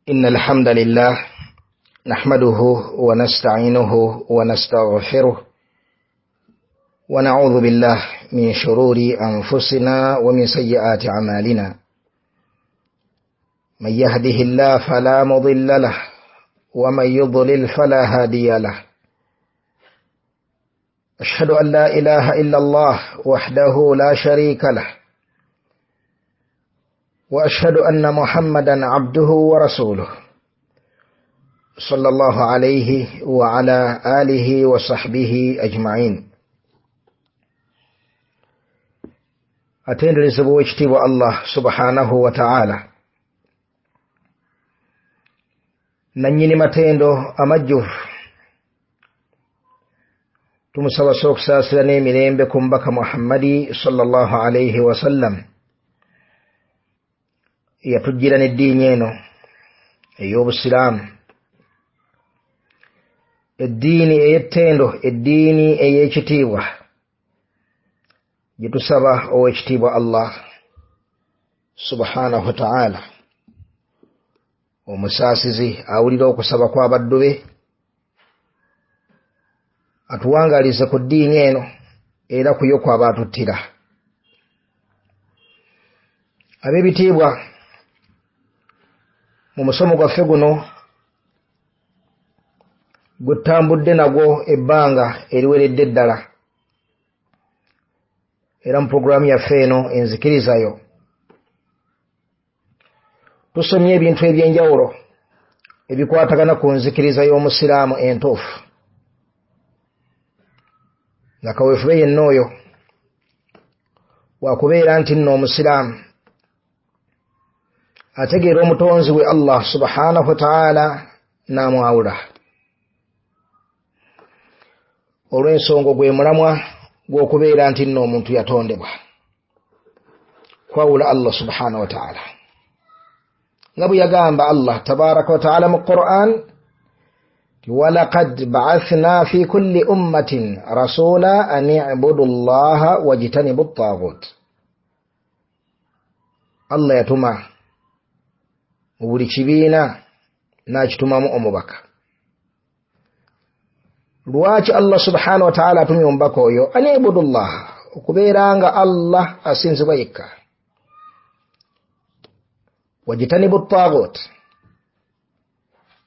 إن الحمد لله نحمده ونستعينه ونستغفره ونعوذ بالله من شرور أنفسنا ومن سيئات أعمالنا، من يهده الله فلا مضل له ومن يضلل فلا هادي له، أشهد أن لا إله إلا الله وحده لا شريك له، وأشهد أن محمدا عبده ورسوله صلى الله عليه وعلى آله وصحبه أجمعين. Atenderezebwa owekitiibwa Allah subhanahu wa ta'ala, nannyini matendo amajjuvu. Tumusaba okusaasira n'emirembe ku mubaka Muhammadi sallallahu alayhi wasallam, yatujjira n'eddiini eno ey'obusiraamu, eddiini ey'ettendo, eddiini ey'ekitiibwa, gye tusaba owekitiibwa Allah subhanahu wa ta'ala, omusaasizi awulira okusaba kw'abaddu be, atuwangaalize ku ddiini eno era ku yo kw'aba atuttira. Ab'ebitiibwa, mu musomo gwaffe guno gutambudde nagwo ebbanga eriweredde ddala, era mu puroguramu yaffe eno enzikirizayo tusomye ebintu ebyenjawulo ebikwatagana ku nzikiriza y'omusiraamu entuufu, nga kaweefube yenna oyo wakubeera nti nno omusiraamu ategeera omutonzi we Allah subhanahu wa ta'ala n'amwawula, olw'ensonga gwe mulamwa gw'okubeera nti nno omuntu yatondebwa kwawula Allah subhanahu wa ta'ala, nga bwe yagamba Allah tabaraka wa ta'ala mu Qur'an, walaqad ba'athna fi kulli ummatin rasula an i'budu Allaha wajtanibu at-taghut. Allah yatuma mu buli kibiina n'akitumamu omubaka. Lwaki Allah subhanahu wa ta'ala atumye omubaka oyo? An i'budu Allaha, okubeera nga Allah asinzibwa yekka, wajtanibu at-taghut,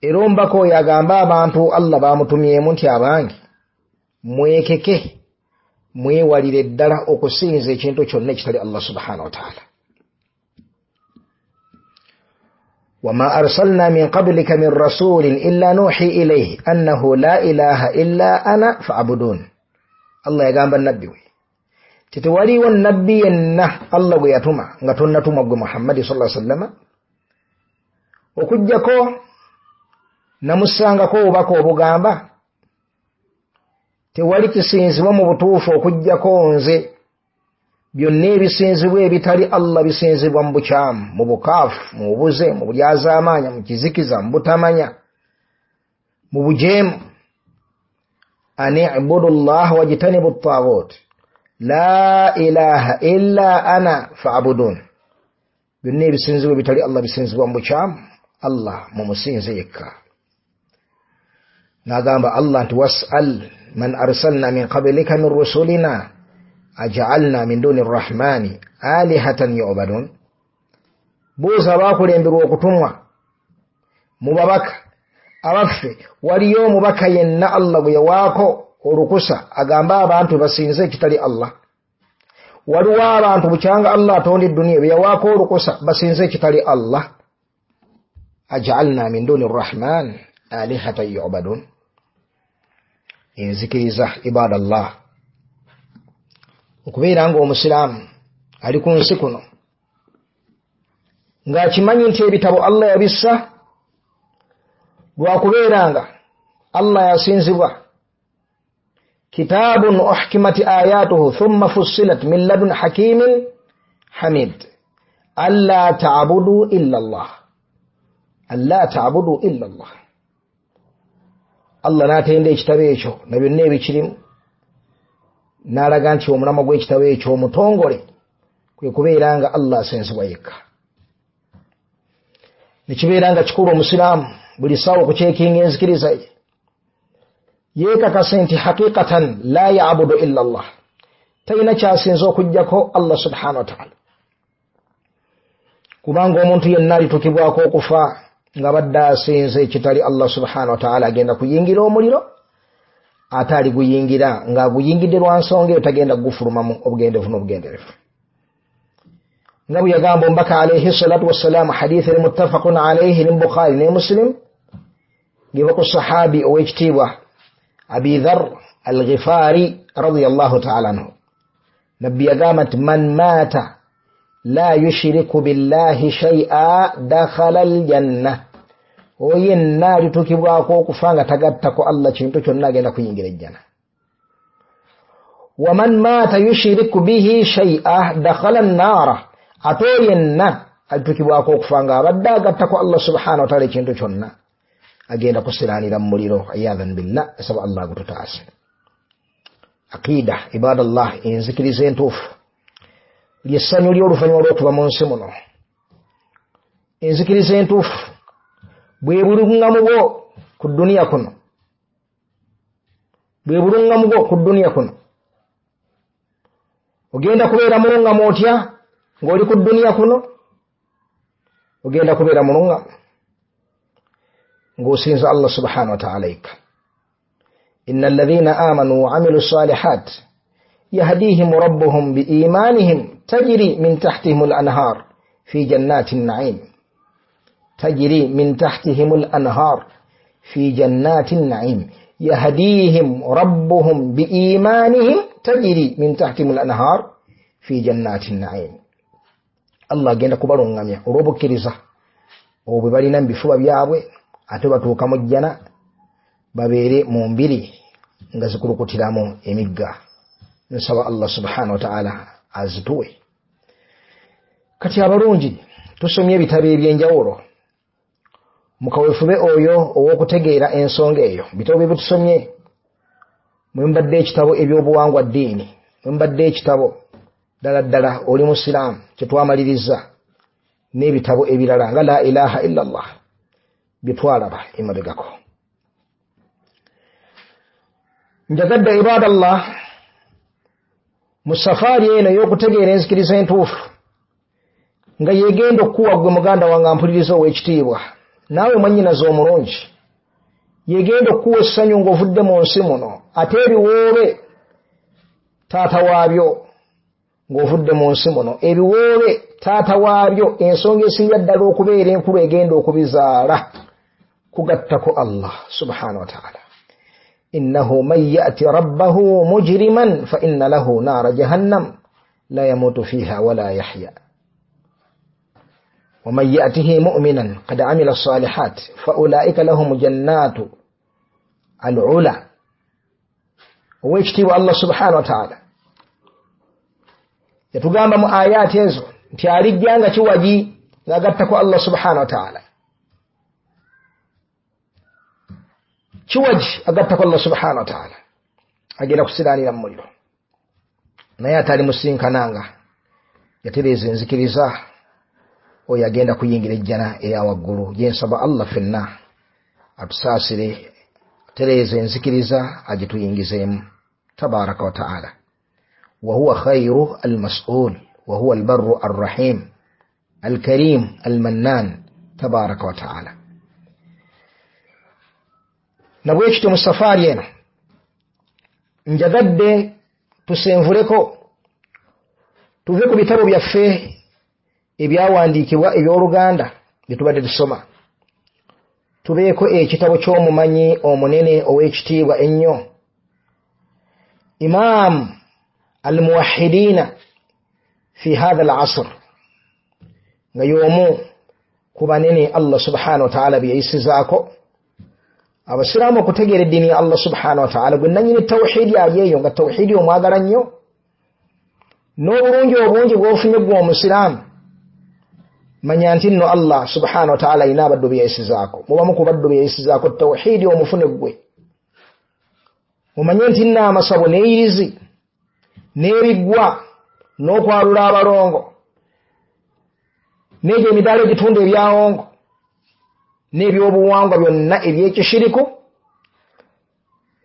era omubaka oyo agamba abantu Allah bamutumyemu nti abange mwekeke, mwewalire ddala okusinza ekintu kyonna ekitali Allah subhanahu wa ta'ala. Wama arsalna min qablika min rasulin illa nuhi ilayhi annahu la ilaha illa ana fa'budun. Allah yagamba nabbi we tewaliwo nabbi yenna Allah gwe yatuma nga tonnatumwa gwe Muhammadi sallallahu alaihi wasallam, okuggyako namusangako obubaka obugamba tewali kisinzibwa mu butuufu okuggyako nze, byonna ebisinzibwa ebitali Allah bisinzibwa mu bukyamu, mu bukaafu, mu bubuze, mu bulyazaamaanya, mu kizikiza, mu butamanya, mu bujeemu. An i'budu llaha wajtanibu ttaaghut la ilaha illa ana fa'budun. Byonna ebisinzibwa ebitali Allah bisinzibwa mu bukyamu, Allah mumusinze yekka. N'agamba Allah nti was'al man arsalna min qablika min rusulina aj'alna min duni rrahmani alihatan yu'badun. Buuza abakulemberwa okutumwa mu babaka abaffe, waliyo omubaka yenna Allah gwe yawaako olukusa agamba abantu basinze ekitali Allah? Waliwo abantu bukyanga Allah atonda edduniya bye yawaako olukusa basinze ekitali Allah? Aj'alna min duni rrahman alihatan yu'badun. Enzikiriza ibadallah, okubeera nga omusiraamu ali ku nsi kuno ng'akimanyi nti ebitabo Allah yabissa lwakubeera nga Allah yasinzibwa. Kitabun uhkimat ayatuhu thumma fussilat min ladun hakimin hamid alla ta'budu illa Allah, alla ta'budu illa Allah. Allah n'atenda ekitabo ekyo na byonna ebikirimu, n'alaga nti omulamwa gw'ekitabo ekyo omutongole kwe kubeera nga Allah asinzibwa yekka. Nekibeera nga kikulu omusiraamu buli ssaawa okukyekinga enzikiriza ye, yeekakase nti haqiqatan la yabudu illa Allah, talina kyasinza okuggyako Allah subhanahu wa ta'ala. Kubanga omuntu yenna alitukibwako okufa nga badde asinza ekitali Allah subhanahu wa ta'ala, agenda kuyingira omuliro, ate aliguyingira ng'aguyingidde lwa nsonga eyo, tagenda kugufulumamu obugenderevu n'obugenderevu. Nga bwe yagamba omubaka alaihi salatu wassalaamu, hadithi eri muttafaqun alaihi ne Bukhari ne Muslim, ng'eva ku sahabi ow'ekitiibwa Abi Dhar al-Ghifari radiyallahu ta'ala anhu, nabbi yagamba nti man maata la yushiriku billahi shay'a dakhala aljanna, oyo yenna alitukibwako okufa nga tagattako Allah kintu kyonna agenda kuyingira ejjana. Waman maata yushiriku bihi shay'a dakhala annaara, ate oyo yenna alitukibwako okufa nga abadde agattako Allah subhanahu wa ta'ala ekintu kyonna agenda kusiraanira mu muliro, iyadhan billah. Esaba Allah agututaase. Aqida ibadallah, enzikiriza entuufu lyessanyu ly'oluvannyuma lw'okuva mu nsi muno. Enzikiriza entuufu bwe buluŋŋamu bwo ku dduniya kuno, bwe buluŋŋamu bwo ku dduniya kuno. Ogenda kubeera muluŋŋamu otya ng'oli ku dduniya kuno? Ogenda kubeera muluŋŋamu ng'osinza Allah subhanahu wa ta'ala yekka. Inna alladhina amanu wa amilu salihat yahdihim rabbuhum biimanihim tajri min tahtihim al-anhar fi jannati an-na'im, tajri min tahtihim al-anhar fi jannati an-na'im, yahdihim rabbuhum biimanihim tajri min tahtihim al-anhar fi jannati an-na'im. Allah agenda kubaluŋŋamya olw'obukkiriza obwo bwe balina mu bifuba byabwe, ate batuuka mu jjana babeere mu mbiri nga zikulukutiramu emigga. Nsaba Allah subhanahu wa ta'ala azituwe. Kati abalungi, tusomye ebitabo eby'enjawulo mukawefube oyo ow'okutegeera ensonga eyo. Bitabo bye tusomye mwe mbadde ekitabo ebyobuwangwa ddiini, mwe mbadde ekitabo ddala ddala oli musiraamu kye twamaliriza, n'ebitabo ebirala nga la ilaha illa Allah bye twalaba emabegako. Njagadde ibadallah mu safaari eno ey'okutegeera enzikiriza entuufu nga yegenda okukuwa ggwe muganda wange ampuliriza ow'ekitiibwa, naawe mwannyinaze omulungi, yegenda okukuwa essanyu ng'ovudde mu nsi muno, ate ebiwoobe taata waabyo ng'ovudde mu nsi muno, ebiwoobe taata waabyo, ensonga esinga ddala okubeera enkulu egenda okubizaala kugattako Allah subhanahu wa ta'ala. Innahu man ya'ti rabbahu mujriman fa inna lahu naara jahannam la yamutu fiha wala yahya, waman ya'tihi mu'minan qad amila salihat fa ulaika lahum jannatu al-ula. Owekitiibwa Allah subhanahu wa ta'ala yatugamba mu ayaati ezo nti alijja nga kiwagi ng'agattako Allah subhanahu wa ta'ala, kiwagi agattako Allah subhanahu wa ta'ala, agenda kusiraanira mu muliro. Naye atali musinkananga yatereeza enzikiriza, oyo agenda kuyingira ejjana eya waggulu. Gye nsaba Allah ffenna atusaasire, atereeze enzikiriza agituyingizeemu tabaraka wa ta'ala. Wahuwa khairu almas'ul wahuwa albarru arrahim alkarim almannan tabaraka wa ta'ala. Nabwekityo mu safaari eno njagadde tusenvuleko, tuve ku bitabo byaffe ebyawandiikibwa eby'Oluganda bye tubadde tusoma, tubeeko ekitabo ky'omumanyi omunene ow'ekitiibwa ennyo, Imam al-Muwahhidina fi hadha al-asr, nga y'omu ku banene Allah subhanahu wa ta'ala bye yayisizaako abasiraamu okutegeera eddiini ya Allah subhanahu wa ta'ala, gwe nannyini tawhidi ali eyo nga tawhidi omwagala nnyo, n'obulungi obungi bw'ofunye ggwe omusiraamu. Manya nti nno Allah subhanahu wa ta'ala alina abaddu be yayisizaako, mubamu ku baddu be yayisizaako tawhidi omufune ggwe. Mumanye nti nno amasabo n'eyirizi n'ebiggwa n'okwalula abalongo n'egyo emidaala egitunda ebyawongo N'ebyobuwangwa byonna ebyekishiriku,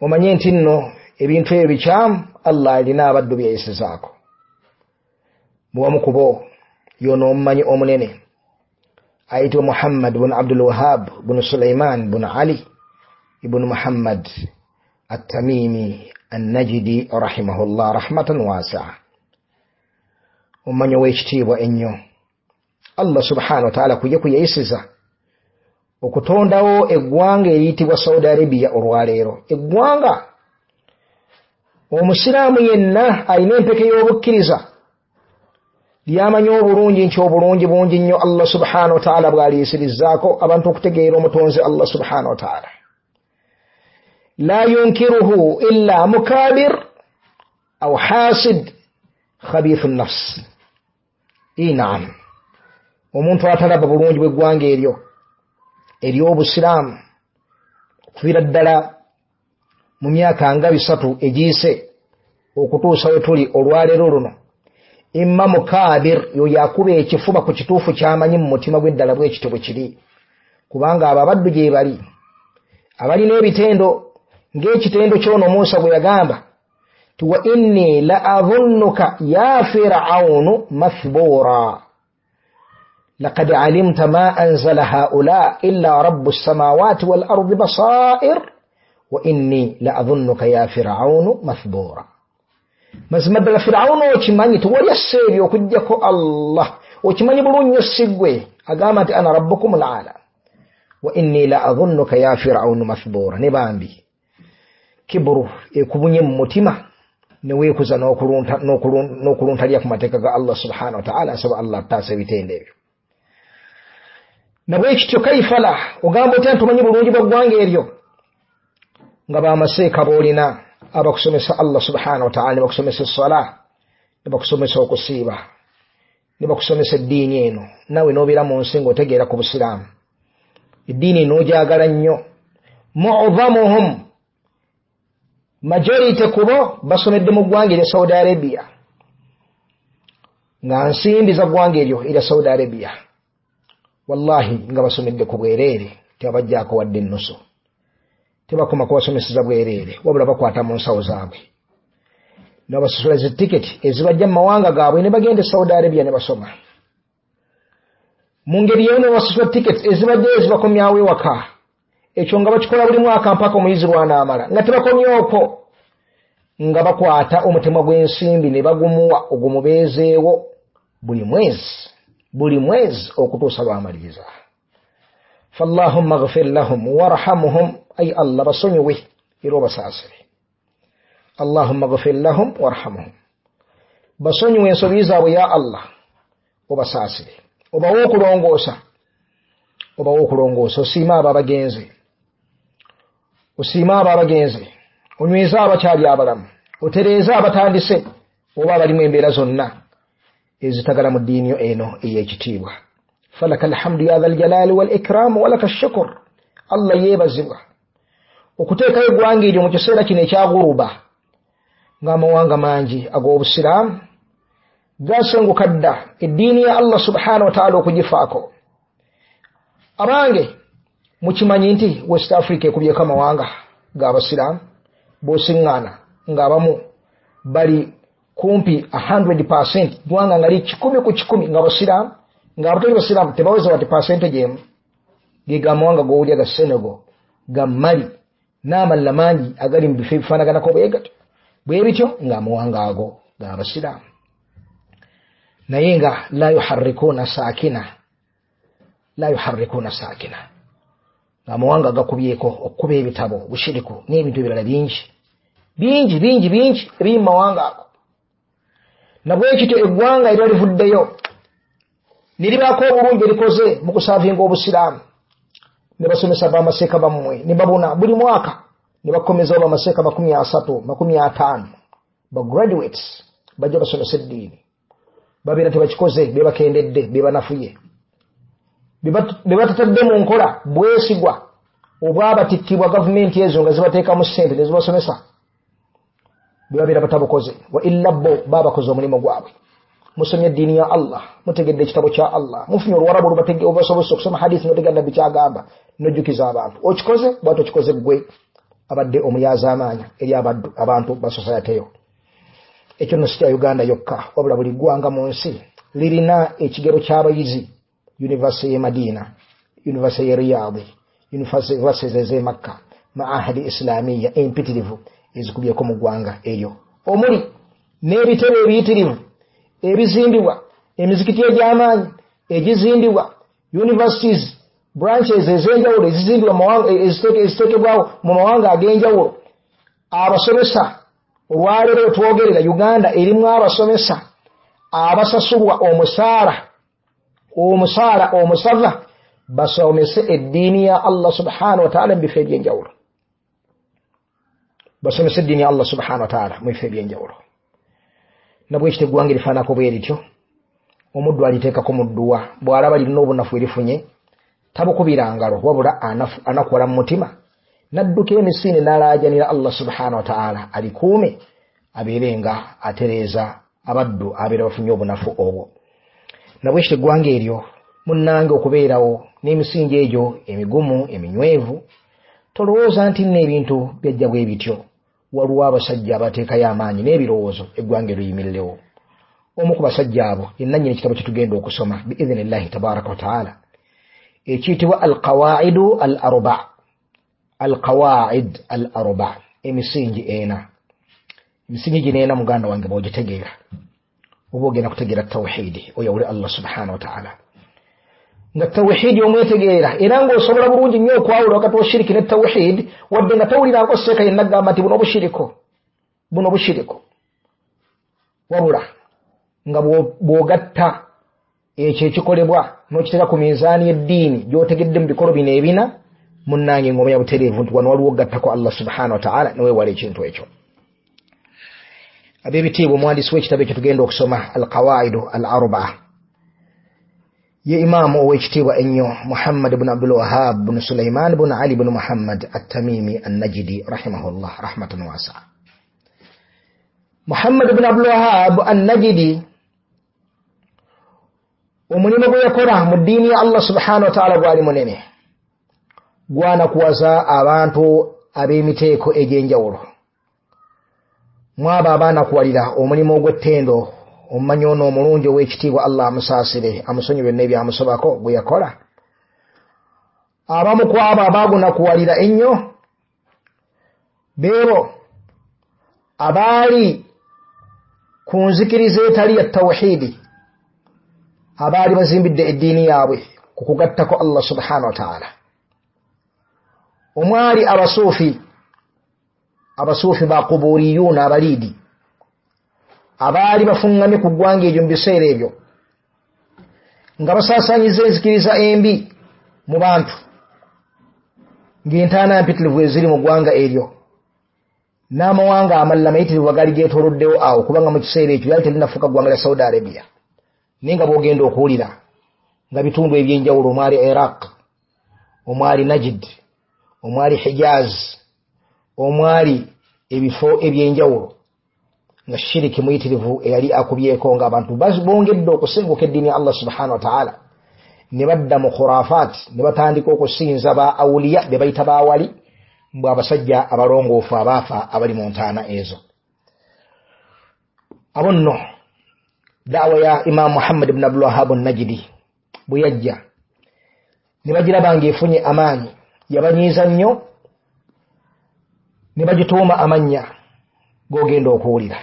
omanye nti nno ebintu ebyo bikyamu. Allah alina abaddu byeyisizaako. Muwamu kubo yono omumanyi omunene ayitibwa Muhammad bunu Abdul Wahab bunu Sulaiman bunu Ali ibunu Muhammad Attamimi Annajidi rahimahullah rahmatan wasia, omumanyi ow'ekitiibwa ennyo. Allah subhanahu wataala kuye kuyeyisiza okutondawo eggwanga eriyitibwa Saudi Arabia olwaleero, eggwanga omusiraamu yenna alina empeke y'obukkiriza lyamanyi obulungi nti obulungi bungi nnyo Allah subhanahu wataala bw'aliyisirizaako abantu okutegeera omutonzi Allah subhanahu wataala. La yunkiruhu illa mukabir aw hasid khabithu nafs. Naam, omuntu atalaba bulungi bw'eggwanga eryo ery'obusiraamu okuviira ddala mu myaka nga 3 egiyise okutuusa we tuli olwaleero luno, imma mukabir, yoyo akuba ekifuba ku kituufu ky'amanyi mu mutima gw'eddala bwekityo bwe kiri, kubanga abo abaddu gye bali abalina ebitendo ng'ekitendo ky'ono Musa bwe yagamba ti wa inni la adhunnuka ya Fir'aunu mathbura laqad alimta ma anzala haula illa rabbu samawati wal ardi basair wa inni la adhunnuka ya Fir'aunu mathbura. Mazima ddala Fir'aunu okimanyi tewali assa ebyo okuggyako Allah, okimanyi bulungi nnyo si ggwe agamba nti ana rabbukum al-ala wa inni la adhunnuka ya Fir'aunu mathbura. Ne bambi kiburu ekubunye mu mutima ne weekuza n'okuluntalya ku mateeka ga Allah subhanahu wa ta'ala. Asaba Allah ataasa ebitendo ebyo. Nabwekityo kaifala ogamba otya nti omanyi bulungi bwa ggwanga eryo nga bamaseeka b'olina abakusomesa Allah subhanahu wa ta'ala, ne bakusomesa essala, ne bakusomesa okusiiba, ne bakusomesa eddiini eno, naawe n'obeera mu nsi ng'otegeera ku busiraamu, eddiini n'ogyagala nnyo. Mu'dhamuhum, majority kubo basomedde mu ggwanga erya Saudi Arabia, nga nsimbi za ggwanga eryo erya Saudi Arabia, wallahi nga basomedde ku bwereere, tebabajjaako wadde ennusu, tebakoma kubasomeseza bwereere, wabula bakwata mu nsawo zaabwe nabasasula zi tiketi ezibajja mu mawanga gaabwe ne bagenda e Saudi Arabia ne basoma. Mu ngeri y'emu ne babasasula tiketi ezibajjayo ezibakomyawo ewaka, ekyo nga bakikola buli mwaka mpaka omuyizi lw'anaamala, nga tebakomye okwo, nga bakwata omutemwa gw'ensimbi ne bagumuwa ogumubeezeewo buli mwezi buli mwezi okutuusa lw'amaliriza. Fallahumma ghfir lahum warhamhum, ay Allah basonyiwe era obasaasire. Allahumma ghfir lahum warhamhum, basonyiwe ensobi zaabwe ya Allah, obasaasire, obawe okulongoosa, obawe okulongoosa, osiime abo abagenze, osiime abo abagenze, onyweze abakyali abalamu, otereeze abatandise oba abalimu embeera zonna ezitagala mu ddiini yo eno ey'ekitiibwa. Falaka alhamdu ya dhal jalali wal ikram walaka shukur. Allah yeebazibwa okuteekayo eggwanga eryo mu kiseera kino ekya guruba, ng'amawanga mangi ag'obusiraamu gasenguka dda eddiini ya Allah subhanahu wa ta'ala okugifaako. Abange, mukimanyi nti West Africa ekubyeko amawanga g'abasiraamu b'osiŋŋaana ng'abamu bali kumpi 100%, ggwanga nga li 100 ku 100 nga basiraamu, ng'abatali basiraamu tebaweza wadde percentage emu. Ge gamawanga g'owulya ga Senegal, ga Mali n'amalala mangi agali mu bifo ebifaanaganako bwe gatyo bwe bityo, ng'amawanga ago g'abasiraamu, naye nga la yuharrikuuna saakina, la yuharrikuuna saakina, ng'amawanga gakubyeko okukuba ebitabo, bushiriku n'ebintu ebirala bingi bingi bingi bingi ebiri mu mawanga ago. Nabwekityo eggwanga era livuddeyo ne libaako obulungi erikoze mu kusaavinga obusiraamu, ne basomesa bamaseeka bammwe ne babuna buli mwaka ne bakomezawo bamaseeka 30 50 ba graduates bajja basomesa eddiini. Babeera tebakikoze, bebakendedde, bebanafuye, bebatatadde mu nkola bwesigwa obwabatikkibwa gavumenti ezo nga zibateekamu ssente ne zibasomesa, bebabeera batabukoze. Wa illa bo babakoze omulimu gwabwe. Musomye eddiini ya Allah, mutegedde ekitabo kya Allah, mufunye oluwarabu olubasobozesa okusoma hadisi notegera Nabbi kyagamba, nojjukiza abantu. Okikoze bw'ate okikoze ggwe abadde omulyazaamaanya eri abantu ba society yo. Ekyo nno si kya Uganda yokka, wabula buli ggwanga mu nsi lirina ekigero ky'abayizi. University y'e Madina, University y'e Riyadh, universities ez'e Makka, maahadi islamiya empitirivu ezikubyeko mu ggwanga eryo, omuli n'ebitebe ebiyitirivu ebizimbibwa, emizikiti egy'amaanyi egizimbibwa, universities branches ez'enjawulo ezizimbibwa, eziteekebwawo mu mawanga ag'enjawulo. Abasomesa olwaleero wetwogerera, Uganda erimu abasomesa abasasulwa omusaala omusava basomese eddiini ya Allah subhanahu wa ta'ala mu bifo ebyenjawulo, basomese eddiini ya Allah subhanahu wa ta'ala mu bifo ebyenjawulo. Nabwekityo eggwanga erifaanako bwe lityo, omuddu aliteekako mu dduwa, bw'alaba lirina obunafu erifunye tabukubira ngalo, wabula anakuwala mu mutima n'adduka emisinde n'alaajanira Allah subhanahu wa ta'ala alikuume, abeere nga atereeza abaddu abeera bafunye obunafu obwo. Nabwekityo eggwanga eryo munnange okubeerawo n'emisingi egyo emigumu eminywevu, tolowooza nti nno ebintu byajja bwe bityo. Waliwo abasajja abateekayo amaanyi n'ebirowoozo eggwanga eriyimirirewo. Omu ku basajja abo ye nannyini ekitabo kye tugenda okusoma biidhinillahi tabaraka wataala, ekiyitibwa Alqawaidu al Arba. Alqawaid al Arba, emisingi ena. Emisingi gino ena, muganda wange, bw'ogitegeera oba ogenda kutegeera tawhidi, oyawule Allah subhanahu wataala. Nga tawhidi omwetegeera era ng'osobola bulungi nnyo okwawula wakati wa shiriki ne tawhidi, wadde nga tawulirako seeka yenna agamba nti buno bushiriko, buno bushiriko, wabula nga bw'ogatta ekyo ekikolebwa n'okiteeka ku minzaani y'eddiini gy'otegedde mu bikolo bino ebina, munnange ng'omanya butereevu nti wano waliwo ogattako Allah subhanahu wataala neweewala ekintu ekyo. Ab'ebitiibwa, omuwandiisi w'ekitabo ekyo tugenda okusoma Alqawaidu al Arbaa ye imaamu ow'ekitiibwa ennyo Muhammad bnu Abdul Wahab bnu Sulaiman bnu Ali bnu Muhammad Attamimi Annajidi rahimahullah rahmatan wasaa. Muhammad bnu Abdul Wahab Annajidi omulimu gwe yakola mu ddiini ya Allah subhanahu wataala gwali munene, gwanakuwaza abantu ab'emiteeko egy'enjawulo. Mwabo abaanakuwalira omulimu ogw'ettendo omumanyi ono omulungi ow'ekitiibwa, Allah amusaasire amusonyi byonna ebyamusobako gwe yakola, abamu ku abo abaagunakuwalira ennyo beebo abaali ku nzikiriza etali ya tawhidi, abaali bazimbidde eddiini yaabwe ku kugattako Allah subhanahu wataala. Omwali abasuufi, abasuufi bakuburiyuuna, abaliidi abaali bafuŋŋamye ku ggwanga eryo mu biseera ebyo, nga basaasaanyiza enzikiriza embi mu bantu, ng'entaana mpitirivu eziri mu ggwanga eryo n'amawanga amalala mayitirivu agaali geetooloddewo awo, kubanga mu kiseera ekyo lyali terinafuuka ggwanga lya Saudi Arabia, naye nga bw'ogenda okuwulira nga bitundu ebyenjawulo omwali Iraq, omwali Najd, omwali Hijaz, omwali ebifo ebyenjawulo, nga shiriki muyitirivu eyali akubyeko, ng'abantu bongedde okusenguka eddiini ya Allah subhanahu wataala ne badda mu khurafat, ne batandika okusinza ba awuliya be bayita bawali, mbwe abasajja abalongoofu abaafa abali mu ntaana ezo. Abo nno daawa ya Imaamu Muhammad bnu Abdul Wahab Najidi bwe yajja ne bagiraba ng'efunye amaanyi, yabanyiiza nnyo ne bagituuma amannya g'ogenda okuwulira.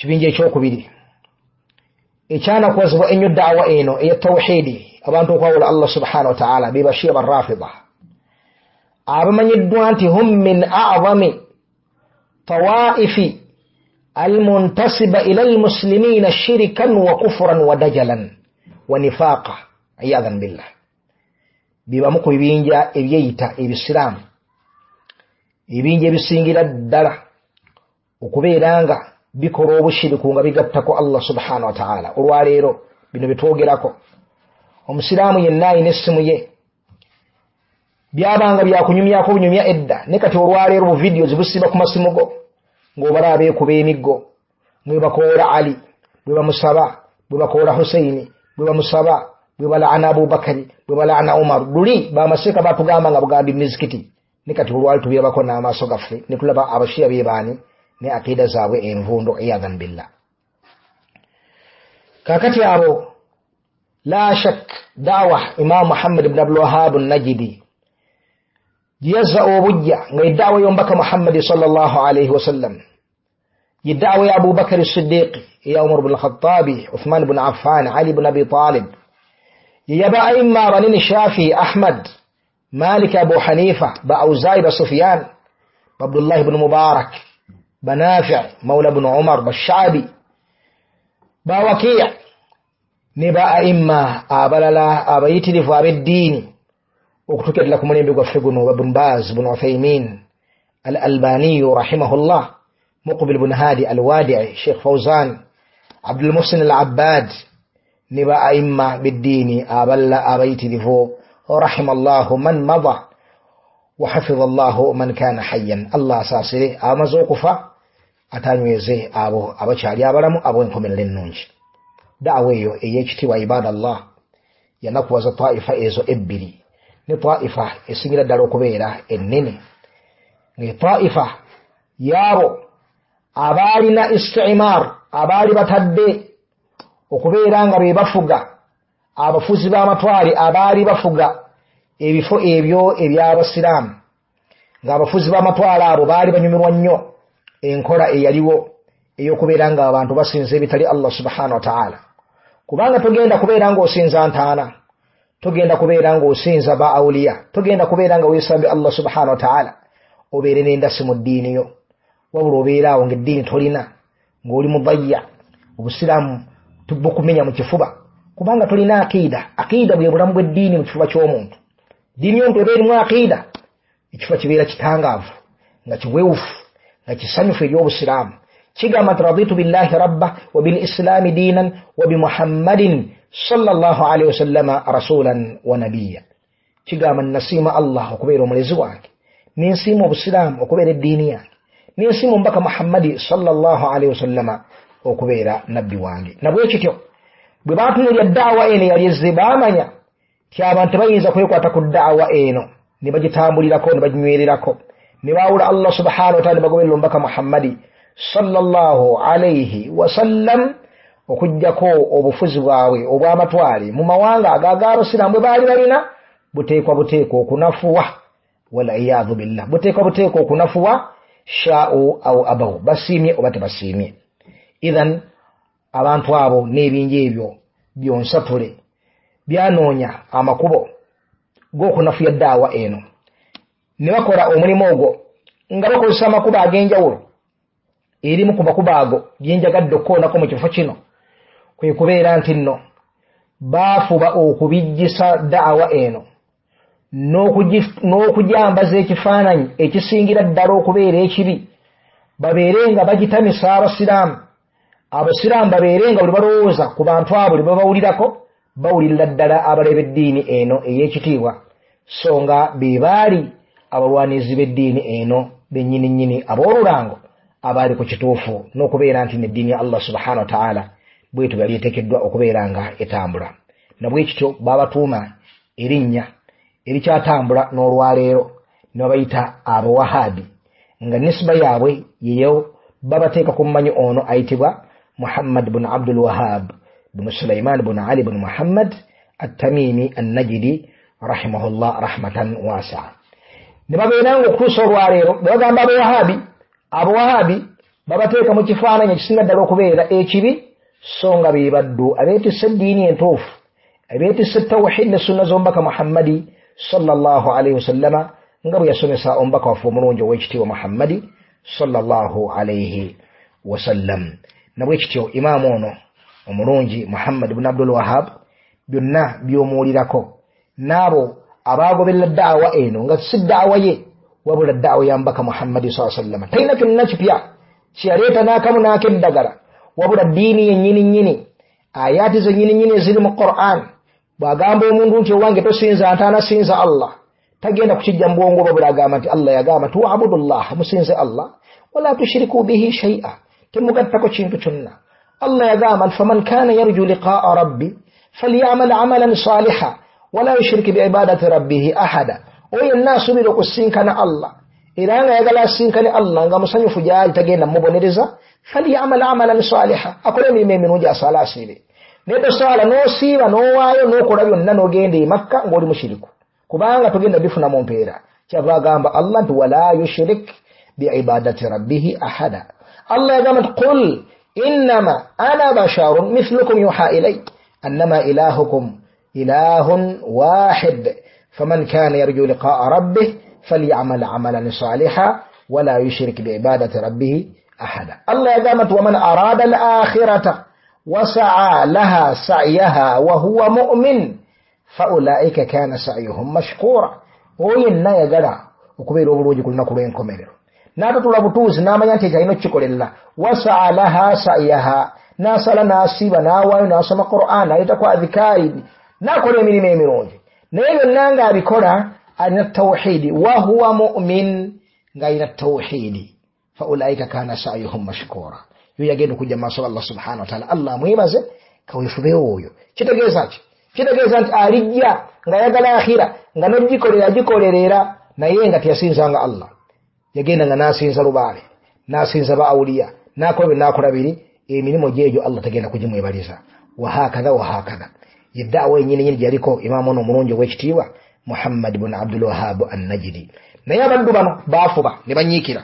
Kibinja ekyokubiri ekyanakuwazibwa ennyo daawa eno eya tawhidi, abantu okwawula Allah subhanahu wataala, be Bashia Barrafida, abamanyiddwa nti hum min a'zami tawaifi almuntasiba ila almuslimina shirikan wa kufran wa dajalan wa nifaqa iyadhan billah. Bibamu ku bibinja ebyeyita ebisiraamu, ebibinja ebisingira ddala okubeera nga bikola obushiriku nga bigattako Allah subhanahu wataala. Olwaleero bino byetwogerako, omusiraamu yenna alina essimu ye, byabanga byakunyumyako bunyumya edda, ne kati olwaleero bu videos busiba ku masimu go ng'obala abeekuba emiggo, nga bakoola Ali, Bwe bamusaba, bwe bakoola Huseini, bwe bamusaba, bwe balaana Abubakari, bwe balaana Umaru. Luli bamaseeka batugamba nga bugambi mizikiti, ne kati olwali tubirabako n'amaaso gaffe ne tulaba Abashiya bebaani ne aqiida zaabwe envundo, iyadhan billah. Kakati abo la shak dawa Imam Muhammad ibn Abdul Wahhab an-Najdi giyazza obujja nga eddawa y'omubaka Muhammadi sallallahu alaihi wasallam, yeddawa ya Abubakari Siddiq, eya Umar ibn Khattabi, Uthman ibn Affan, Ali ibn Abi Talib, yeyaba aimma abanene Shafi, Ahmad, Malik, Abu Hanifa, ba Auza'i, ba Sufyan, ba Abdullah ibn Mubarak, ba Nafi' mawla ibn Umar, ba Sha'bi, ba Waki' ne ba aimma abalala abayitirivu ab'eddiini okutuukira ddala ku mulembe gwaffe guno, ba Ibn Baz, ibn Uthaymin, Al-Albaniyu rahimahullah, Muqbil ibn Hadi Al-Wadi'i, Sheikh Fawzan, Abdul Muhsin Al-Abbad ne ba aimma b'eddiini abalala abayitirivu, rahimallahu man mada wa hafidha Allahu man kana hayyan. Allah asaasire abamaze okufa, atanyweze abo abakyali abalamu ab'enkomerero ennungi. Da'wa eyo ey'ekitiibwa, ibadallah, yanakuwaza taifa ezo ebbiri, ne taifa esingira ddala okubeera ennene, ng'etaifa yaabo abaalina istimar, abaali batadde okubeera nga be bafuga, abafuzi b'amatwale abaali bafuga ebifo ebyo eby'Abasiraamu, ng'abafuzi b'amatwale abo baali banyumirwa nnyo enkola eyaliwo ey'okubeera nga abantu basinza ebitali Allah subhanahu wa ta'ala. Kubanga togenda kubeera ng'osinza ntaana, togenda kubeera ng'osinza ba awuliya, togenda kubeera nga weesambye Allah subhanahu wa ta'ala obeere n'endasi mu ddiini yo, wabula obeera awo ng'eddiini tolina, ng'oli mudayya, Obusiraamu bukumenya mu kifuba, kubanga tolina aqiida. Aqiida bwe bulamu bw'eddiini mu kifuba ky'omuntu. Ddiini y'omuntu eba erimu aqiida, ekifuba kibeera kitangaavu, nga kiwewufu, nga kisanyufu eri Obusiraamu. Kigamba nti raditu billahi rabba wa bil islaami diinan wa bi Muhammadin sallallahu alaihi wasallama rasulan wa nabiyya. Kigamba nasiima Allah okubeera omulezi wange, nensiima Obusiraamu okubeera eddiini yange, nensiima omubaka Muhammadi sallallahu alaihi wasallama okubeera nabbi wange. Nabwe kityo bwe batunuulira daawa eno eyali ezze, baamanya nti abantu tebayinza kwekwata ku daawa eno ne bagitambulirako ne baginywererako, ne baawula Allah subhanahu wa ta'ala ne bagoberera omubaka Muhammadi sallallahu alaihi wasallam, okuggyako obufuzi bwabwe obw'amatwale mu mawanga ag'Abasiraamu bwe baali balina buteekwa buteekwa okunafuwa, waliyadhu billah, buteekwa buteekwa okunafuwa, sha'u au abaw, basiimye oba tebasiimye. Idhan abantu abo n'ebingi ebyo byonsatule byanoonya amakubo g'okunafuya daawa eno, ne bakola omulimu ogwo nga bakozesa amakubo ag'enjawulo. Erimu ku makubo ago gyenjagadde okukoonako mu kifo kino kwe kubeera nti nno baafuba okubijjisa daawa eno n'okujambaza ekifaananyi ekisingira ddala okubeera ekibi, babeere nga bagitamisa Abasiraamu. Abasiraamu babeere nga buli balowooza ku bantu abo buli babawulirako bawulirira ddala abalaba eddiini eno ey'ekitiibwa, so nga be baali abalwanizi b'eddiini eno bennyini nnyini ab'olulango abaali ku kituufu, n'okubeera nti n'eddiini ya Allah subhanahu wa ta'ala bwetyo yali eteekeddwa okubeera nga etambula. Nabwe kityo baabatuuma erinnya erikyatambula n'olwaleero ne babayita Abawahabi, nga nisba yaabwe yeyo babateeka ku mmanyi ono ayitibwa Muhammad bun Abdul Wahhab bun Sulaiman bun Ali bun Muhammad At-Tamimi An-Najdi rahimahullah rahmatan wasi'a. Ne babeera nga okutuusa olwaleero ne bagamba Abawahabi, Abawahabi babateeka mu kifaananyi ekisinga ddala okubeera ekibi, so nga be baddu abeetisse eddiini entuufu, abeetisse tawhid ne sunna z'omubaka Muhammadi sallallahu alaihi wasallama, nga bwe yasomesa omubaka waffe omulungi ow'ekitiibwa Muhammadi sallallahu alaihi wasallam. Nabwe kityo imaamu ono omulungi Muhammad ibn Abdul Wahhab byonna by'omuwulirako n'abo abaagoberera daawa eno nga si daawa ye wabula daawa ya mubaka Muhammadi sallallahu alaihi wasallam, talina kyonna kipya kyeyaleeta n'akamu n'akeddagala, wabula ddiini yennyini nnyini, ayaati zennyini nnyini eziri mu Qur'an. Bw'agamba omuntu nti owange tosinza ntaana, sinza Allah, tagenda kukijja mu bwongo, wabula agamba nti Allah yagamba nti wa'budullah, musinze Allah, wala tushiriku bihi shay'a, temugattako kintu kyonna. Allah yagamba nti faman kana yarju liqaa rabbi falyamal amalan saliha wala yushrik biibadati rabbihi ahada. Oyo yenna asuubira okusinkana Allah era nga ayagala asinkane Allah nga musanyufu gyali tagenda mubonereza, falyamal amalan saliha, akole emirimu emirungi asaala asiibe. Naye tosaala n'osiiba n'owaayo n'okola byonna n'ogenda e Makka ng'oli mushiriku, kubanga togenda bifuna mu mpeera. Kyava agamba Allah nti wala yushrik biibadati rabbihi ahada. Allah yagamba nti qul innama ana basharun mithlukum yuha ilay annama ilahukum ilahun wahid faman kana yarju liqaa rabbih falyamal amalan saliha wala yushrik biibadati rabbih ahada. Allah yagamba nti waman arada al-akhirata wasaa laha sa'yaha wa huwa mu'min faulaika kana sa'yuhum mashkura. Oyo yenna ayagala okubeera obulungi ku lunaku lw'enkomerero n'atatula butuuzi n'amanya nti ekyalina okukikolerera, wasaa laha sa'yaha, n'asala n'asiiba n'awaayo n'asoma Qur'an n'ayitako adhikaari n'akola emirimu emirungi, naye byonna ng'abikola alina tawhidi, wa huwa mu'min, ng'alina tawhidi, faulaika kana sa'yuhum mashkura. Yo yagenda okujja mu maaso ga Allah subhanahu wa ta'ala, Allah amwebaze kaweefubeewo oyo. Kitegeeza ki? Kitegeeza nti alijja ng'ayagala akhira nga n'ogikolera agikolerera, naye nga teyasinzanga Allah. Yagenda nga n'asinza lubaale, n'asinza ba awuliya, n'akola bye n'akola biri, emirimu gyegyo Allah tagenda kugimwebaliza. Wahakadha wahakadha. Ye da'wa yennyini nyini gyaliko imaamu ono omulungi ow'ekitiibwa Muhammad bun Abdul Wahhab an-Najdi. Naye abaddu bano baafuba ne banyiikira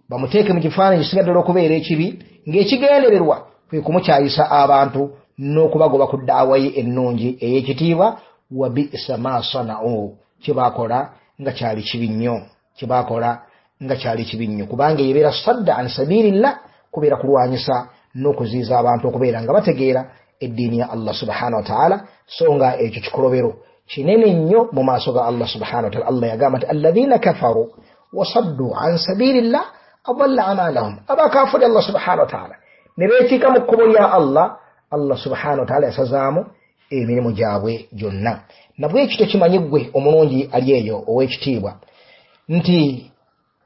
bamuteeke mu kifaananyi kisinga ddala okubeera ekibi, ng'ekigendererwa kwe kumukyayisa abantu n'okubagoba ku da'wa ye ennungi ey'ekitiibwa. Wa bi'sa ma sana'u, kye baakola nga kyali kibi nnyo, kye baakola nga kyali kibi nnyo, kubanga ebeera sadda an sabilillah, kubeera kulwanyisa n'okuziiza abantu okubeera nga bategeera eddiini ya Allah subhanahu wa ta'ala. So nga ekyo kikolobero kinene nnyo mu maaso ga Allah subhanahu wa ta'ala. Allah yagamba nti alladhina kafaru wasaddu an sabilillah adalla amalahum, abakafiri Allah subhanahu wa ta'ala ne beekiika mu kkubo lya Allah, Allah subhanahu wa ta'ala yasazaamu emirimu gyabwe gyonna. Nabwekityo kimanyi ggwe omulungi ali eyo ow'ekitiibwa nti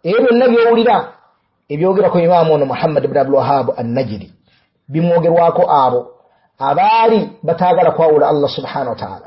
ebyo byonna by'owulira ebyogerako imaamu ono Muhammad ibn Abdul Wahhab an-Najdi bimwogerwako abo abaali bataagala kwawula Allah subhanahu wa ta'ala,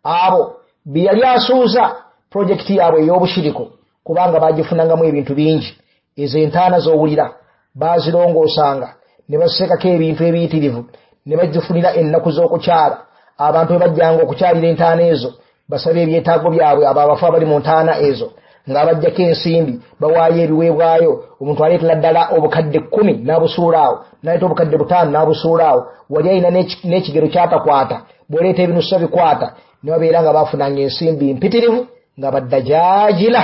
abo bye yali asuuza projekiti yaabwe ey'obushiriko, kubanga bagifunangamu ebintu bingi. Ezo entaana z'owulira bazirongoosanga ne baziseekako ebintu ebiyitirivu ne bazifunira ennaku z'okukyala. Abantu bwe bajjanga okukyalira entaana ezo basabe ebyetaago byabwe, abo abafu abali mu ntaana ezo ng'abajjako ensimbi bawaayo ebiweebwayo. Omuntu aleetera ddala obukadde 10 n'abusuula awo, n'aleeta obukadde 5 n'abusuula awo, wali alina n'ekigero kyatakwata, bw'oleeta ebinusa bikwata, ne babeera nga baafunanga ensimbi mpitirivu nga baddajaajira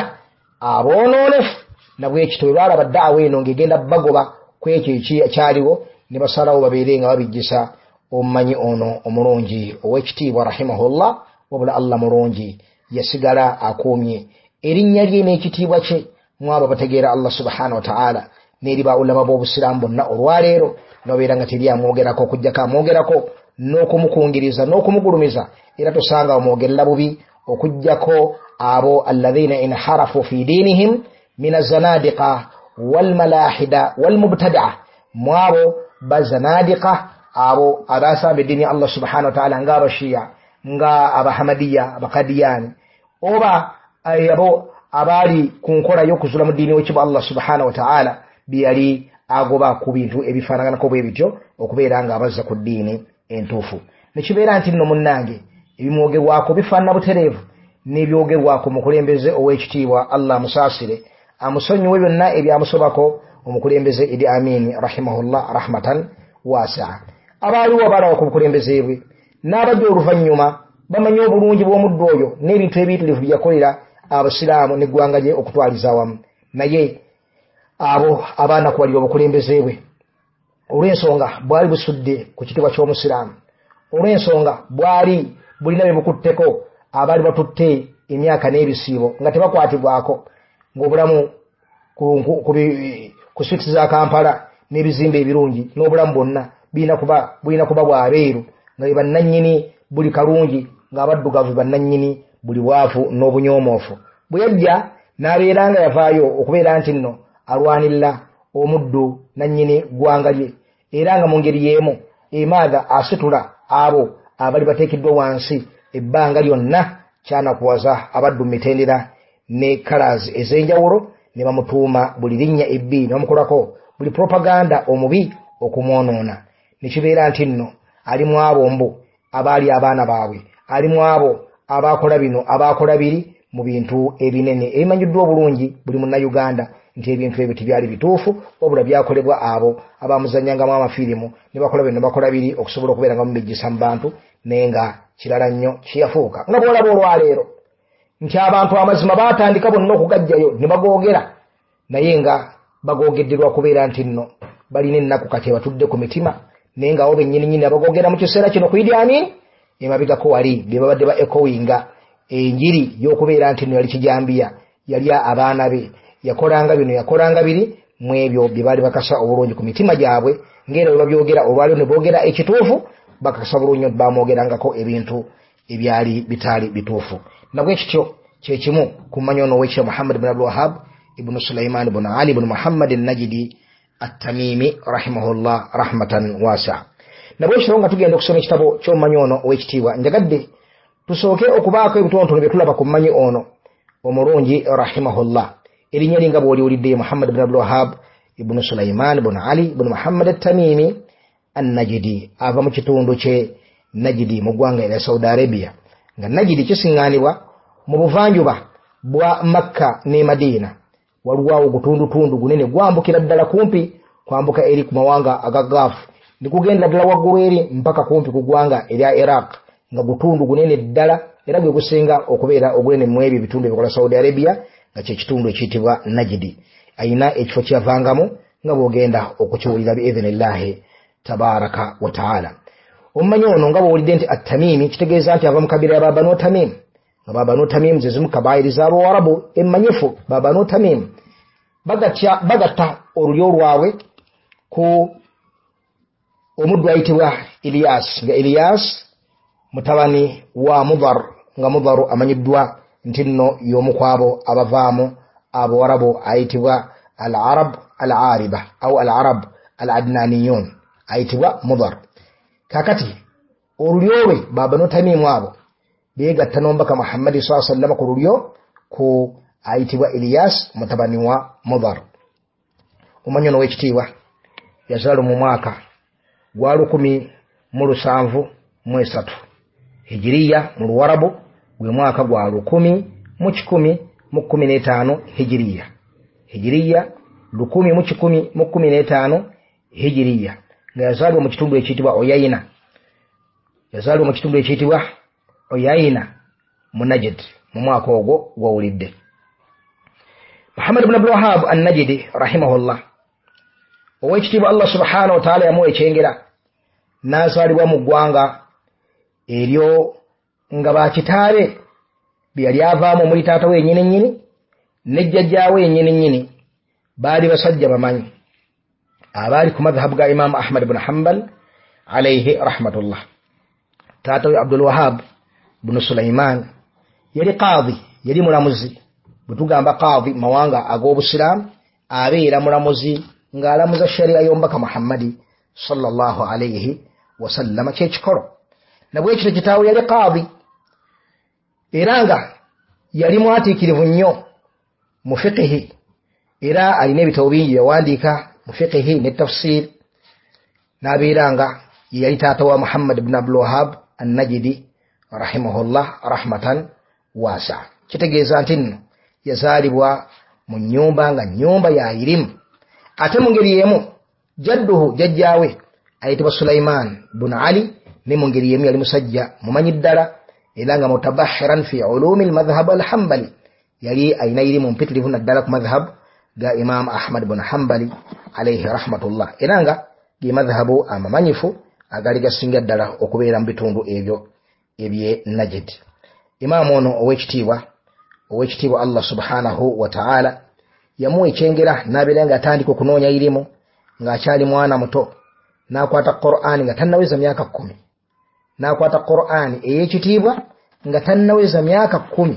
aboonoonefu. Nabwekityo bwe baalaba da'wa eno ng'egenda bagoba ku ekyo ekyaliwo, ne basalawo babeere nga babijjisa omumanyi ono omulungi ow'ekitiibwa rahimahullah. Wabula Allah mulungi, yasigala akuumye erinnya lye n'ekitiibwa kye mwabo bategeera Allah subhanahu wa ta'ala n'eri ba ulama b'obusiraamu bonna olwaleero, nobeera nga teri amwogerako okuggyako amwogerako n'okumukungiriza n'okumugulumiza, era tosanga omwogerera bubi okuggyako abo alladhina inharafu fi dinihim min azanadiqa walmalahida walmubtadaa, mwabo bazanadiqa abo abasamba eddiini ya Allah subhanahu wa ta'ala nga abashiya nga abahamadiya abakadiyani, oba abo abaali ku nkola y'okuzula mu ddiini w'ekitiibwa Allah subhanahu wa ta'ala bye yali agoba ku bintu ebifaanaganako bwe bityo okubeera nga abazza ku ddiini entuufu. Ne kibeera nti nno munnange ebimwogerwako bifaanana butereevu n'ebyogerwako mukulembeze ow'ekitiibwa Allah amusaasire amusonyiwe byonna ebyamusobako omukulembeze Idi Amin rahimahullah rahmatan waasi'a. Abaaliwo abalaba ku bukulembeze bwe n'abajja oluvannyuma bamanyi obulungi bw'omuddu oyo n'ebintu ebiyitirivu bye yakolera abasiraamu n'eggwanga lye okutwaliza awamu. Naye abo abaanakuwalira obukulembeze bwe olw'ensonga bwali busudde ku kitiibwa ky'omusiraamu, olw'ensonga bwali bulina bye bukutteko abaali batutte emyaka n'ebisiibo nga tebakwatibwako, ng'obulamu ku streets za Kampala n'ebizimbe ebirungi n'obulamu bwonna bulina kuba bwabeeru, nga be bannannyini buli kalungi, ng'abaddugavu bannannyini buli bwavu n'obunyoomoofu. Bwe yajja n'abeera nga yavaayo okubeera nti nno alwanirira omuddu nannyini ggwanga lye, era nga mu ngeri y'emu emaatha asitula abo abali bateekeddwa wansi ebbanga lyonna. Kyanakuwaza abaddu mu mitendera ne colors ez'enjawulo, ne bamutuuma buli linnya ebbi, ne bamukolako buli propaganda omubi okumwonoona, ne kibeera nti nno ali mu abo mbu abaali abaana baabwe, ali mu abo abakola bino, abakola biri, mu bintu ebinene ebimanyiddwa obulungi buli munnayuganda nti ebintu ebyo tebyali bituufu, wabula byakolebwa abo abamuzannyangamu amafirimu ne bakola bino bakola biri okusobola okubeera nga mubijjisa mu bantu, naye nga kirala nnyo kiyafuuka. Nga bw'olaba olwaleero nti abantu amazima baatandika bonna okugajjayo ne bagoogera, naye nga bagoogedde lwa kubeera nti nno balina ennaku kati ebatudde ku mitima, naye nga abo bennyininyini abagoogera mu kiseera kino ku Idi Amin emabegako wali be babadde ba ekowinga enjiri y'okubeera nti nno yali kijambiya, yali abaana be, yakolanga bino, yakolanga biri, mu ebyo bye baali bakasa obulungi ku mitima gyabwe, ng'era bwe babyogera olwaleero ne boogera ekituufu, bakakasa bulungi nti bamwogerangako ebintu ebyali bitaali bituufu. Nabwe kityo kye kimu ku mmanyi ono ow'ekitiibwa Muhammad ibn Abdul Wahhab ibn Sulaiman ibn Ali ibn Muhammad an-Najdi at-Tamimi rahimahullah rahmatan wasi'a. Nabwe kityo nga tugenda okusoma ekitabo ky'omumanyi ono ow'ekitiibwa, njagadde tusooke okubaako ebitonotono bye tulaba ku mmanyi ono omulungi rahimahullah. Erinnya linga bw'oliwulidde Muhammad ibn Abdul Wahhab ibn Sulaiman ibn Ali ibn Muhammad at-Tamimi an-Najdi, ava mu kitundu kye Najdi mu ggwanga erya Saudi Arabia, nga Najdi kisiŋŋaanibwa mu buvanjuba bwa Makka ne Madiina. Waliwo awo gutundutundu gunene gwambukira ddala kumpi kwambuka eri ku mawanga aga Gulf, ne kugendera ddala waggulu eri mpaka kumpi ku ggwanga erya Iraq, nga gutundu gunene ddala era gwe gusinga okubeera ogunene mu ebyo ebitundu ebikola Saudi Arabia, nga kye kitundu ekiyitibwa Najdi. Ayina ekifo kyeyavangamu nga bw'ogenda okukiwulira biidhinillahi tabaraka wa taala. Omumanyi ono nga bw'owulidde nti at-Tamimi, kitegeeza nti ava mu kabira ya Banu Tamim, nga Banu Tamim ze zimu kabaayiri z'Abawarabu emmanyifu. Banu Tamim bagatta olulyo lwabwe ku omuddu ayitibwa Ilyas, nga Ilyas mutabani wa Mudhar, nga Mudharu amanyiddwa nti nno y'omu ku abo abavaamu Abawarabu ayitibwa Al-Arab Al-Ariba au Al-Arab Al-Adnaniyun, ayitibwa Mudhar. Kakati olulyo lwe Banu Tamimu abo beegatta n'omubaka Muhammadi sallallahu alaihi wasallam ku lulyo ku ayitibwa Ilyas mutabani wa Mudhar. Omumanyi ono ow'ekitiibwa yazaalwa mu mwaka gwa 1773 Hijiriya mu Luwarabu, gwe mwaka gwa 1115 Hijiriya, Hijiriya 1115 Hijiriya, nga yazaalibwa mu kitundu ekiyitibwa Oyayina, yazaalibwa mu kitundu ekiyitibwa Oyayina mu Najd mu mwaka ogwo gw'owulidde. Muhammad ibn Abdul Wahhab an-Najdi rahimahullah, ow'ekitiibwa Allah subhanahu wa ta'ala yamuwa ekyengera n'azaalibwa mu ggwanga eryo nga bakitaabe bye yali avaamu omuli taata we yennyini nnyini ne jjajjaawe yennyini nnyini baali basajja bamanyi abaali ku madhhabu ga Imaamu Ahmad ibn Hanbal alayhi rahmatullah. Taata we Abdul Wahhab ibn Sulaiman yali qaadhi, yali mulamuzi. Bwe tugamba qaadhi mawanga ag'obusiraamu, abeera mulamuzi ng'alamuza sharia y'omubaka Muhammadi sallallahu alayhi wasallama, kyekikolo. Nabwekityo kitaawe yali qaadhi era nga yali mwatiikirivu nnyo mu fiqihi, era alina ebitabo bingi yawandiika mu fiqihi ne tafsir, n'abeera nga ye yali taata wa Muhammad ibn Abdul Wahhab an-Najdi rahimahullah rahmatan wasa. Kitegeeza nti nno yazaalibwa mu nnyumba nga nnyumba ya irimu. Ate mu ngeri y'emu jadduhu, jjajjaawe ayitibwa Sulaiman ibn Ali, ne mu ngeri y'emu yali musajja mumanyi ddala era nga mutabahiran fi ulumi al-madhhab al-Hanbali, yali alina irimu mpitirivu naddala ku madhhab ga Imam Ahmad ibn Hanbali alayhi rahmatullah, era nga ge madhhabu amamanyifu agali gasinga ddala okubeera mu bitundu ebyo ebye Najd. Imaamu ono ow'ekitiibwa Allah subhanahu wa ta'ala yamuwa ekyengera n'abeera nga atandika okunoonya irimu ng'akyali mwana muto, n'akwata Qur'ani nga tannaweza myaka 10, n'akwata Qur'ani ey'ekitiibwa nga tannaweza myaka 10.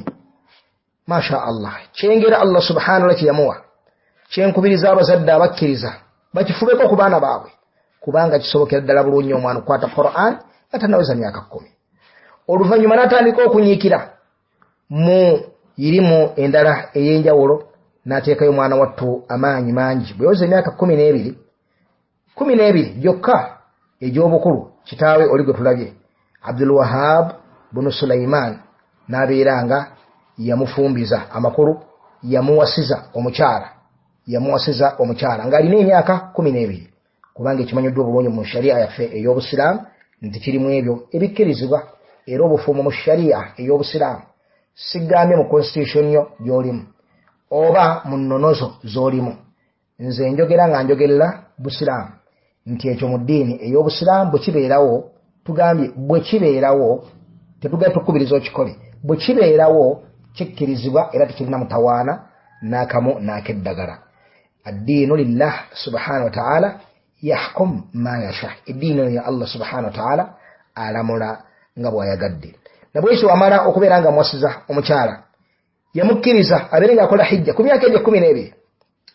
Masha Allah, kyengera Allah subhanahu wa ta'ala kye yamuwa, kyenkubiriza abazadde abakkiriza bakifubeko ku baana baabwe, Kubanga kisobokera ddala bulungi omwana okukwata Quran nga tannaweza myaka 10. Oluvannyuma n'atandika okunyiikira mu irimu endala ey'enjawulo, n'ateekayo omwana wattu amaanyi mangi. Bwe yaweza emyaka 12 gyokka egy'obukulu, kitaawe oli gwe tulabye Abdul Wahab bunu Sulaiman n'abeera nga yamufumbiza, amakulu yamuwasiza omukyala, yamuwasiza omukyala ng'alina emyaka 12. Kubanga ekimanyiddwa obulungi mu sharia yaffe ey'obusiraamu nti kirimu ebyo ebikkirizibwa, era obufumu mu sharia ey'obusiraamu sigambye mu constitution yo gy'olimu oba mu nnonozo z'olimu, nze njogera nga njogerera busiraamu nti ekyo mu ddiini ey'obusiraamu bwe kibeerawo, tugambye bwe kibeerawo, tetugambye tukubiriza okikole, bwe kibeerawo kikkirizibwa era tekirina mutawaana n'akamu n'akeddagala. Addiinu lillah subhanahu wa ta'ala yahkum ma yasha, eddiini eno ya Allah subhanahu wa ta'ala alamula nga bw'ayagadde. Nabwekyo amala okubeera nga amuwasiza omukyala, yamukkiriza abeere ng'akola hijja ku myaka egyo 12,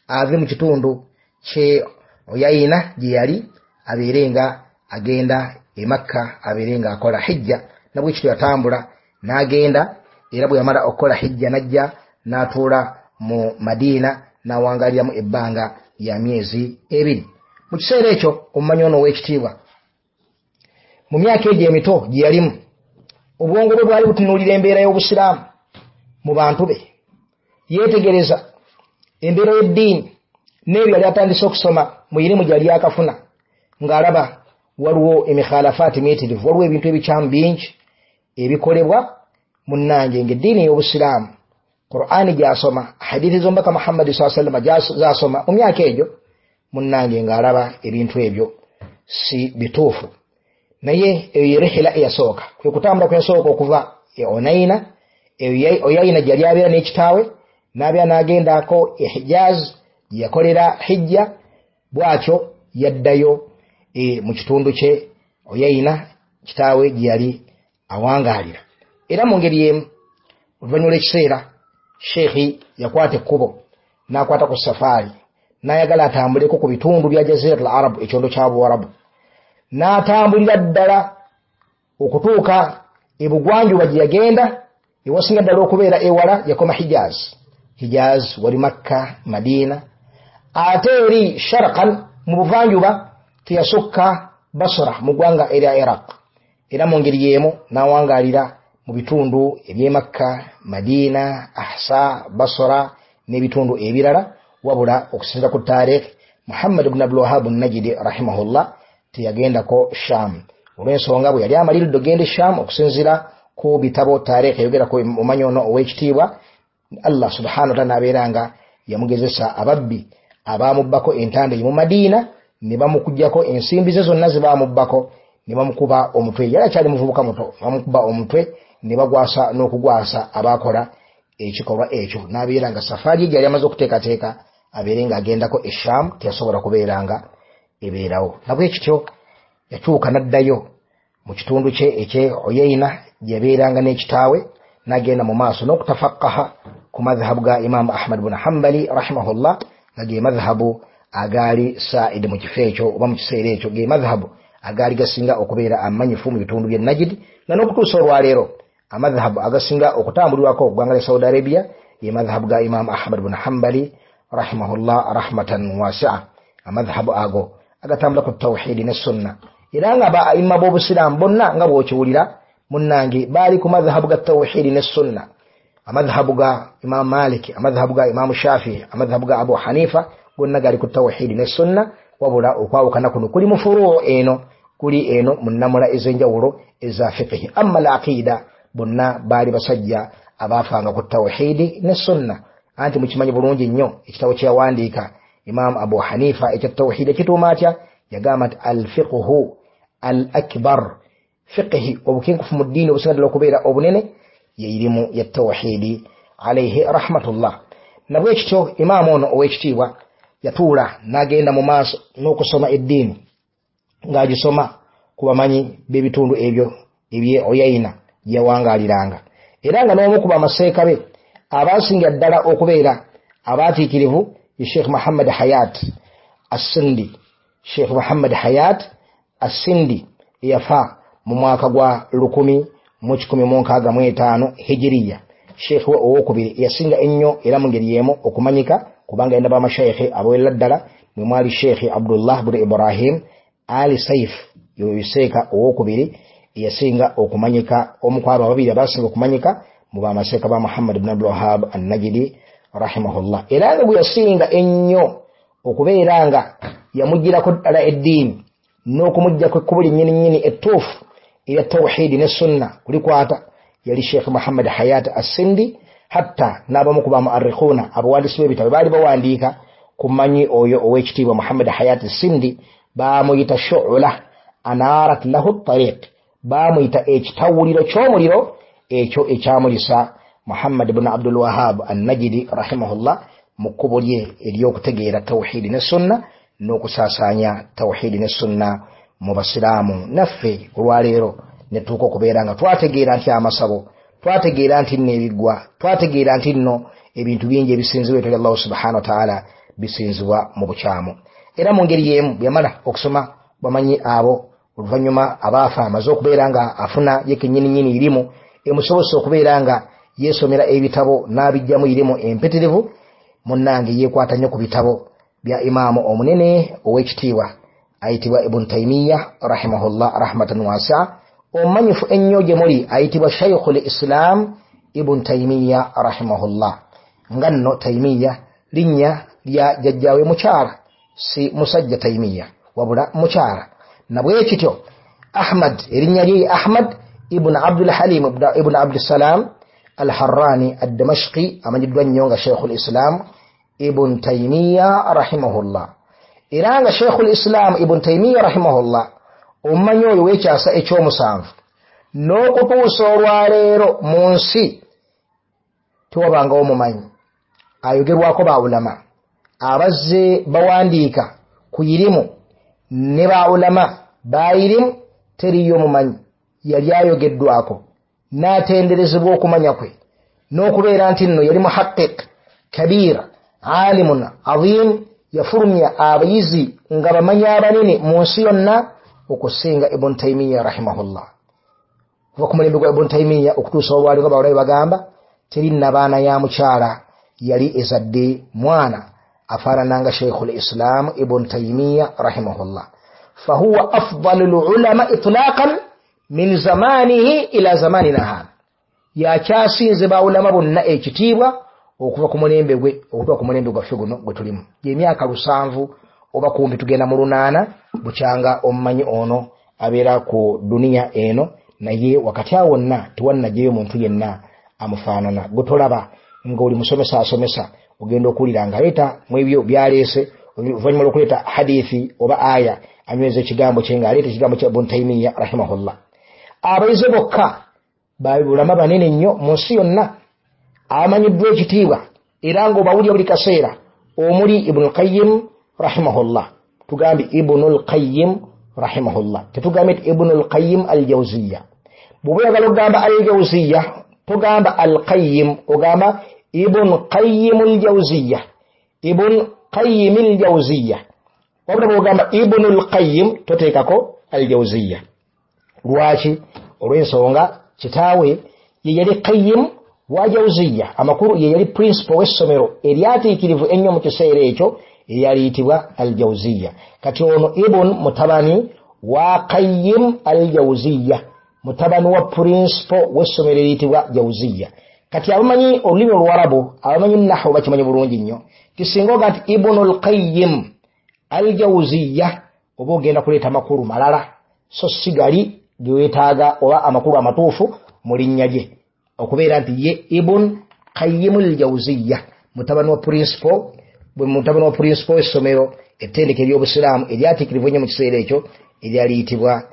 ave mu kitundu kye Oyayina gye yali, abeere nga agenda e Makka, abeere ng'akola hijja. Nabwekityo yatambula n'agenda, era bwe yamala okukola hijja n'ajja n'atuula mu Madiina, n'awangaliramu ebbanga lya myezi 2. Mu kiseera ekyo omumanyi ono ow'ekitiibwa mu myaka egyo emito gye yalimu, obwongo bwe bwali butunuulira embeera y'obusiraamu mu bantu be. Yeetegereza embeera y'eddiini n'ebyo yali atandise okusoma mu irimu gyali yakafuna, ng'alaba waliwo emikhalafaati miyitirivu, waliwo ebintu ebikyamu bingi ebikolebwa munnange ng'eddiini ey'obusiraamu Qur'ani gy'asoma, hadithi z'omubaka Muhammadi sallallahu alaihi wasallam z'asoma mu myaka egyo, munnange ng'alaba ebintu ebyo si bituufu. Naye eyo ye rihila eyasooka, kwe kutambula kwe yasooka okuva e Onaina, Oyayina gye yali abeera n'ekitaawe, n'abeera n'agendako e Hijaz gye yakolera hijja. Bw'atyo yaddayo mu kitundu kye Oyayina kitaawe gye yali awangaalira. Era mu ngeri y'emu oluvannyuma lw'ekiseera sheikhi yakwata ekkubo n'akwata ku safaari, n'ayagala atambuleko ku bitundu bya Jazirat al-Arab, ekyondo kya Buwarabu, n'atambulira ddala okutuuka ebugwanjuba gye yagenda, ewasinga ddala okubeera ewala yakoma Hijaz. Hijaz wali Makka, Madiina, ate eri sharqan mu buvanjuba teyasukka Basra mu ggwanga erya Iraq. Era mu ngeri y'emu n'awangaalira mu bitundu eby'e Makka, Madiina, Ahsa, Basra n'ebitundu ebirala. Wabula okusinziira ku taarikh, Muhammad ibn Abdul Wahhab an-Najdi rahimahullah teyagendako Sham, olw'ensonga bwe yali amaliridde okugenda e Sham, okusinziira ku bitabo taarikh eyogera ku omanyi ono ow'ekitiibwa, Allah subhanahu wa ta'ala n'abeera nga yamugezesa ababbi abaamubbako entanda mu Madiina, ne bamukuggyako ensimbi ze zonna ze baamubbako, ne bamukuba omutwe. Yali akyali muvubuka muto, bamukuba omutwe ne bagwasa n'okugwasa abaakola ekikolwa ekyo, n'abeera nga safaari ye gyali amaze okuteekateeka abeere ng'agendako e Sham teyasobola kubeera nga ebeerawo. Nabwekityo yakyuka n'addayo mu kitundu kye ekye Oyayina gye yabeeranga n'ekitaawe, n'agenda mu maaso n'okutafakaha ku madhhabu ga Imaamu Ahmad bun Hambali rahimahullah, nga ge madhhabu agaali saidi mu kifo ekyo oba mu kiseera ekyo, ge madhhabu agaali gasinga okubeera amanyifu mu bitundu by'e Najid, nga n'okutuusa olwaleero amadhhabu agasinga okutambulirwako ggwanga lya Saudi Arabia ye madhhabu ga Imaamu Ahmad bun Hambali rahimahullah rahmatan wasi'a. Amadhhabu ago agatambula ku tawhidi ne sunna, era nga ba aimma b'obusiraamu bonna nga bw'okiwulira munnange baali ku madhhabu ga tawhidi ne sunna. Amadhhabu ga Imaamu Malik, amadhhabu ga Imaamu Shafii, amadhhabu ga Abu Hanifa gonna gali ku tawhidi ne sunna. Wabula okwawukana kuno kuli mu furuu eno, kuli eno mu nnamula ez'enjawulo eza fiqhi. Amma al-aqida bonna baali basajja abaafanga ku tawhidi ne sunna. Anti mukimanyi bulungi nnyo ekitabo kye yawandiika Imaamu Abu Hanifa ekya tawhidi ekituuma atya? Yagamba nti al-fiqhu al-akbar, fiqhi obukenkufu mu ddiini obusinga ddala okubeera obunene ye irimu ya tawhidi alayhi rahmatullah. Nabwekityo imaamu ono ow'ekitiibwa yatuula n'agenda mu maaso n'okusoma eddiini ng'agisoma ku bamanyi b'ebitundu ebyo ebye Oyayina gye yawangaaliranga. Era nga n'omu ku bamaseeka be abaasinga ddala okubeera abaatiikirivu ye Sheikh Muhammad Hayat As-Sindi. Sheikh Muhammad Hayat Asindi, eyafa mu mwaka gwa 1165 Hijiriya. Sheikh we owokubiri yasinga ennyo era mu ngeri y'emu okumanyika, kubanga yenda bamashaikhe abawerera ddala, mwe mwali Sheikh Abdullah bin Ibrahim Ali Saif, yoyo seeka owokubiri yasinga okumanyika, omu ku abo ababiri abasinga okumanyika mu bamaseeka ba Muhammad ibn Abdul Wahhab An-Najdi rahimahullah. Era nga gwe yasinga ennyo okubeera nga yamuggyirako ddala eddiini n'okumuggyako ekkubo lyennyini nnyini ettuufu erya tawhidi ne sunna kulikwata, yali Sheikh Muhammad Hayat Asindi. Hatta n'abamu ku bamuarrikhuna, abawandiisi b'ebitabo, baali bawandiika ku mmanyi oyo ow'ekitiibwa Muhammad Hayat Sindi, baamuyita shu'ula anarat lahu tariq, baamuyita ekitawuliro ky'omuliro ekyo ekyamulisa Muhammad ibn Abdul Wahhab An-Najdi rahimahullah mu kkubo lye ery'okutegeera tawhidi ne sunna n'okusaasaanya tawhidi ne sunna mu basiraamu. Naffe olwaleero ne tuuka okubeera nga twategeera nti amasabo, twategeera nti nno ebiggwa, twategeera nti nno ebintu bingi ebisinzibwa etali Allahu subhanahu wa ta'ala bisinzibwa mu bukyamu. Era mu ngeri y'emu bwe yamala okusoma bamanyi abo oluvannyuma abaafa, amaze okubeera nga afuna ye kennyini nnyini irimu emusobozesa okubeera nga yeesomera ebitabo n'abijjamu irimu empitirivu, munnange yeekwata nnyo ku bitabo bya imaamu omunene ow'ekitiibwa ayitibwa Ibn Taymiya rahimahullah rahmatan wasi'a, omumanyifu ennyo gye muli ayitibwa Shaykhul Islam Ibn Taymiya rahimahullah. Nga nno Taymiya linnya lya jjajjaawe mukyala, si musajja Taymiya wabula mukyala. Nabwe kityo Ahmad, erinnya lye Ahmad ibn Abdul Halim ibn Abdul Salam Al-Harrani Ad-Damashqi, amanyiddwa nnyo nga Shaykhul Islam Ibn Taymiya rahimahullah. Era nga Shaykhul Islam Ibn Taymiya rahimahullah omumanyi oyo w'ekyasa ekyomusanvu n'okutuusa olwaleero mu nsi tewabangawo mumanyi ayogerwako baulama abazze bawandiika ku irimu ne baulama bairimu, teriyo mumanyi yali ayogeddwako n'atenderezebwa okumanya kwe n'okubeera nti nno yali muhaqqiq kabir alimun azim, yafulumya abayizi nga bamanyi abanene mu nsi yonna okusinga Ibn Taymiya rahimahullah. Kuva ku mulembe gwa Ibn Taymiya okutuusa olwaleero nga bawulabe bagamba teri nabaana ya mukyala yali ezadde mwana afaanananga Shaykhul Islam Ibn Taymiya rahimahullah. Fahuwa afdalul ulama itlaqan min zamanihi ila zamanina hadha, yakyasinze bawulama bonna ekitiibwa okuva ku mulembe gwe okutuuka ku mulembe gwaffe guno gwe tulimu, gy'emyaka 7 oba kumpi tugenda mu 8 bukyanga omumanyi ono abeera ku duniya eno, naye wakati awo wonna tewannajjayo muntu yenna amufaanana. Gwe tolaba ng'oli musomesa asomesa, ogenda okuwulira ng'aleeta mu ebyo byaleese, oluvannyuma lw'okuleeta hadithi oba aya anyweza ekigambo kye ng'aleeta ekigambo kya Ibn Taymiya rahimahullah. Abayizi bokka babulama banene nnyo mu nsi yonna abamanyiddwa ekitiibwa era ng'obawulira buli kaseera, omuli Ibn Qayyim rahimahullah. Tugambe Ibn Qayyim rahimahullah, tetugambe nti Ibn Qayyim al-Jawziyya. Bw'oba oyagala okugamba al-Jawziyya togamba al-Qayyim, ogamba Ibn Qayyim al-Jawziyya, Ibn Qayyim al-Jawziyya. Wabula bw'ogamba Ibn Qayyim toteekako al-Jawziyya. Lwaki? Olw'ensonga kitaawe ye yali Qayyim wa Jawziyya, amakulu ye yali principal w'essomero eryatiikirivu ennyo mu kiseera ekyo eryaliyitibwa al-Jawziyya. Kati ono Ibn mutabani wa Qayyim al-Jawziyya, mutabani wa principal w'essomero eriyitibwa Jawziyya. Kati abamanyi olulimi Oluwarabu, abamanyi nahwu bakimanyi bulungi nnyo, kisinga oga nti Ibnul Qayyim al-Jawziyya oba ogenda kuleeta amakulu malala, so si gali ge weetaaga oba amakulu amatuufu mu linnya lye, okubeera nti ye Ibn Qayyim al-Jawziyya mutabani wa principal, bwe mutabani wa principal w'essomero ettendekero ery'obusiraamu eryatiikirivu ennyo mu kiseera ekyo eryaliyitibwa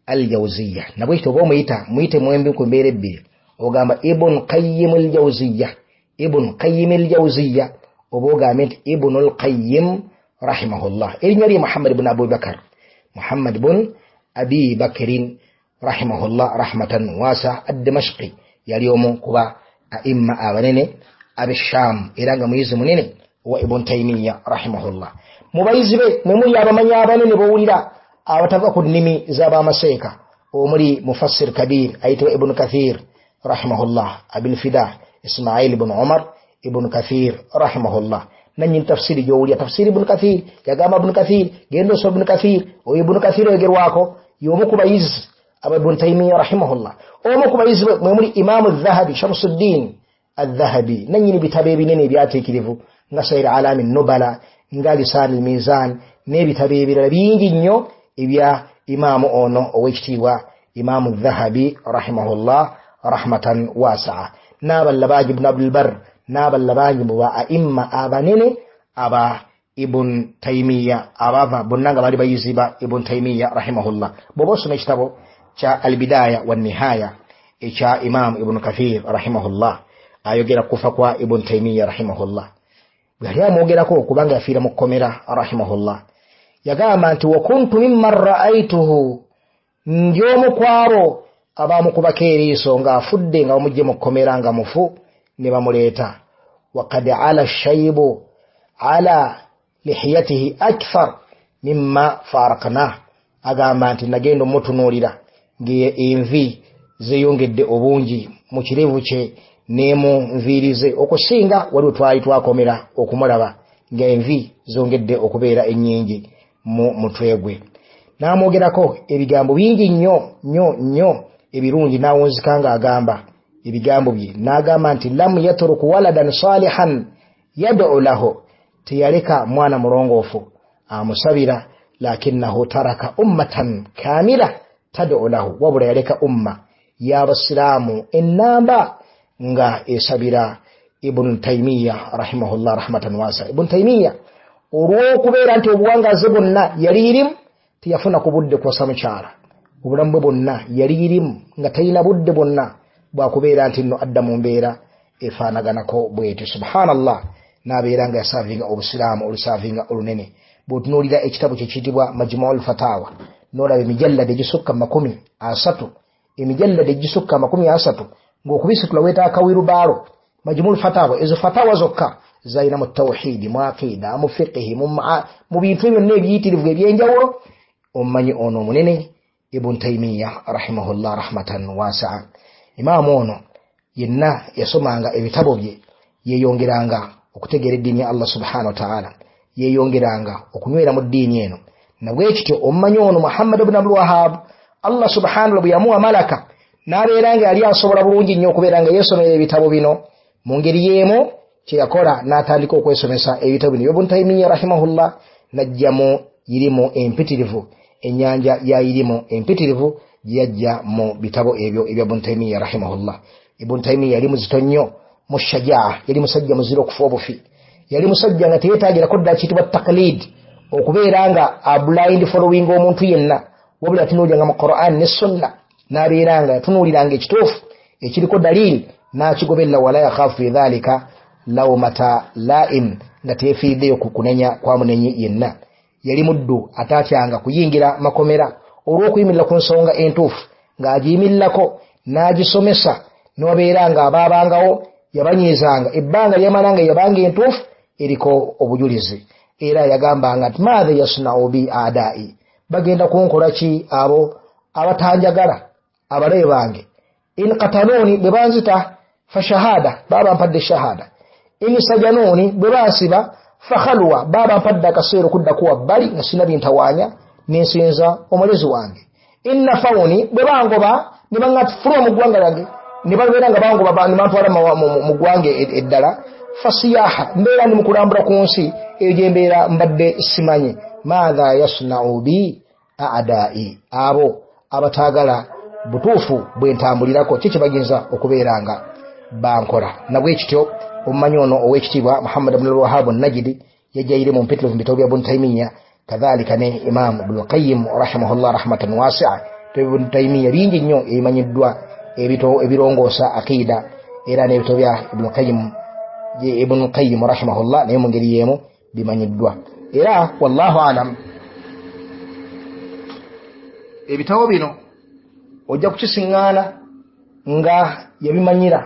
al-Jawziyya. Nabwekityo oba omuyita muyite mwembi ku mbeera ebbiri, ogamba Ibn Qayyim al-Jawziyya, Ibn Qayyim al-Jawziyya, oba ogambe nti Ibn al-Qayyim rahimahullah. Erinnya lye Muhammad ibn Abi Bakr, Muhammad ibn Abi Bakrin rahimahullah rahmatan wasa ad-Damashqi, yali omu kuba aimma abanene ab'e Sham, era nga muyizi munene wa Ibn Taymiya rahimahullah. Mu bayizi be mwe muli abamanyi abanene bowulira abatava ku nnimi z'abamaseeka, omuli mufassir kabir ayitibwa Ibnu Kathir rahimahullah, Abilfida Ismail ibn Umar Ibnu Kathir rahimahullah, nanyini tafsiri gyowulira tafsiri Ibnu Kathir. Yagamba Ibnu Kathir, genda osoma Ibnu Kathir. Oyo Ibnu Kathir oyogerwako y'omu ku bayizi aba Ibnu Taymiya rahimahullah. Omu ku bayizi be mwe muli Imamu Dhahabi, Shamsuddin Adhahabi, nanyini bitabo ebinene ebyateekirivu nga Sair Alami Nubala, nga Lisan al-Mizan, n'ebitabo ebirala bingi nnyo ebya imaamu ono ow'ekitiibwa Imamu Dhahabi rahimahullah rahmatan wasaa, n'abalala bangi, Ibn Abdulbar, n'abalala bangi mu ba aimma abanene aba Ibn Taymiya, abava bonna nga bali bayizi ba Ibn Taymiya rahimahullah. Bw'oba osoma ekitabo kya Albidaya wa Nihaya ekya Imamu Ibn Kathir rahimahullah, ayogera kufa kwa Ibn Taymiya rahimahullah. Bwe yali amwogerako kubanga yafiira mu kkomera rahimahullah, yagamba nti wakuntu mimman ra'aituhu, ndi omu ku abo abamukubako eriiso ng'afudde, nga bamugye mu kkomera nga mufu ne bamuleeta. Wakad ala shaibu ala lihiyatihi akthar mimma faraknah, agamba nti nagenda omutunuulira ng'envi zeeyongedde obungi mu kirevu kye n'emu nviiri ze okusinga waliwo twali twakomera okumulaba ng'envi zongedde okubeera ennyingi mu mutwe gwe. N'amwogerako ebigambo bingi nnyo nnyo nnyo ebirungi, n'awunzika ng'agamba ebigambo bye, n'agamba nti lam yatruk waladan salihan yad'u lahu, teyaleka mwana mulongoofu amusabira, lakinnahu taraka ummatan kamila tad'u lahu, wabula yaleka umma y'abasiraamu ennamba nga esabira Ibn Taymiya rahimahullah rahmatan wasa. Ibn Taymiya olw'okubeera nti obuwangaazi bwonna yali irimu, teyafuna ku budde kuwasa mukyala. Obulamu bwe bwonna yali irimu nga talina budde bwonna bwakubeera nti nno adda mu mbeera efaanaganako bwetyo. Subhanallah, n'abeera nga yasaavinga obusiraamu olusaavinga olunene. Bw'otunuulira ekitabo kye kiyitibwa Majmuul Fatawa, n'olaba emijallada egisukka 30, emijallada egisukka 30, ng'okubisitula weetaaga wirubaalo. Majmuul Fatawa, ezo fatawa zokka zalina mu tawhidi, mu aqida, mu fiqihi, mu bintu byonna ebiyitirivu ebyenjawulo. Omumanyi ono omunene Ibn Taymiya rahimahullah rahmatan wasaa. Imaamu ono yenna yasomanga ebitabo bye, yeeyongeranga okutegeera eddiini ya Allah subhanahu wa ta'ala, yeeyongeranga okunywera mu ddiini eno. Nabwe kityo omumanyi ono Muhammad ibn Abdul Wahhab, Allah subhanahu bwe yamuwa malaka n'abeera nga yali asobola bulungi nnyo okubeera nga yeesomera ebitabo bino. Mu ngeri y'emu kye yakola n'atandika okwesomesa ebitabo bino Ibn Taymiya rahimahullah, n'ajjamu irimu empitirivu, ennyanja ya irimu empitirivu gye yajja mu bitabo ebyo ebya Ibn Taymiya rahimahullah. Ibn Taymiya yali muzito nnyo mu shajaa, yali musajja muzira okufa obufi, yali musajja nga teyeetagirako ddala kiyitibwa taqlid, okubeera nga a blind following omuntu yenna, wabula yatunuuliranga mu Quran ne Sunna, n'abeera nga yatunuuliranga ekituufu ekiriko dalili n'akigoberera, wala yakhafu fi dhalika lawmata laim, nga teyefiiriddeyo ku kunenya kwa munenyi yenna. Yali muddu ataatyanga kuyingira makomera olw'okuyimirira ku nsonga entuufu, ng'agiyimirirako n'agisomesa, n'obeera nga abaabangawo yabanyiizanga ebbanga lyamala nga yabanga entuufu eriko obujulizi. Era yagambanga nti maatha yasnau bi adai, bagenda kunkola ki abo abatanjagala, abalabe bange? In katanuuni, bwe banzita, fa shahada, baba mpadde shahada. In sajanuuni, bwe bansiba, fa khalwa, baba mpadde akaseera okuddaku wabbali nga sina bintawaanya nensinza omulezi wange. In nafawuni, bwe bangoba ne baŋŋafuluma mu ggwanga lyange, ne babeera nga bangoba ne bantwala mu ggwanga eddala, fa siyaha, mbeera ndi mu kulambula ku nsi eyo gye mbeera mbadde simanyi. Maatha yasnau bi adai, abo abataagala butuufu bwe ntambulirako, ki kye bayinza okubeera nga bankola? Nabwe kityo omumanyi ono ow'ekitiibwa Muhammad ibn al-Wahhab an-Najdi yajja mu mpitirivu mu bitabo bya Ibn Taymiya, kadhalika ne Imam Ibn Qayyim rahimahullah rahmatan wasi'a. Ibn Taymiya bingi nnyo ebimanyiddwa ebirongoosa aqida, era n'ebitabo bya Ibn Qayyim rahimahullah naye mu ngeri y'emu bimanyiddwa. Era wallahu alam, ebitabo bino ojja kukisiŋŋaana nga yabimanyira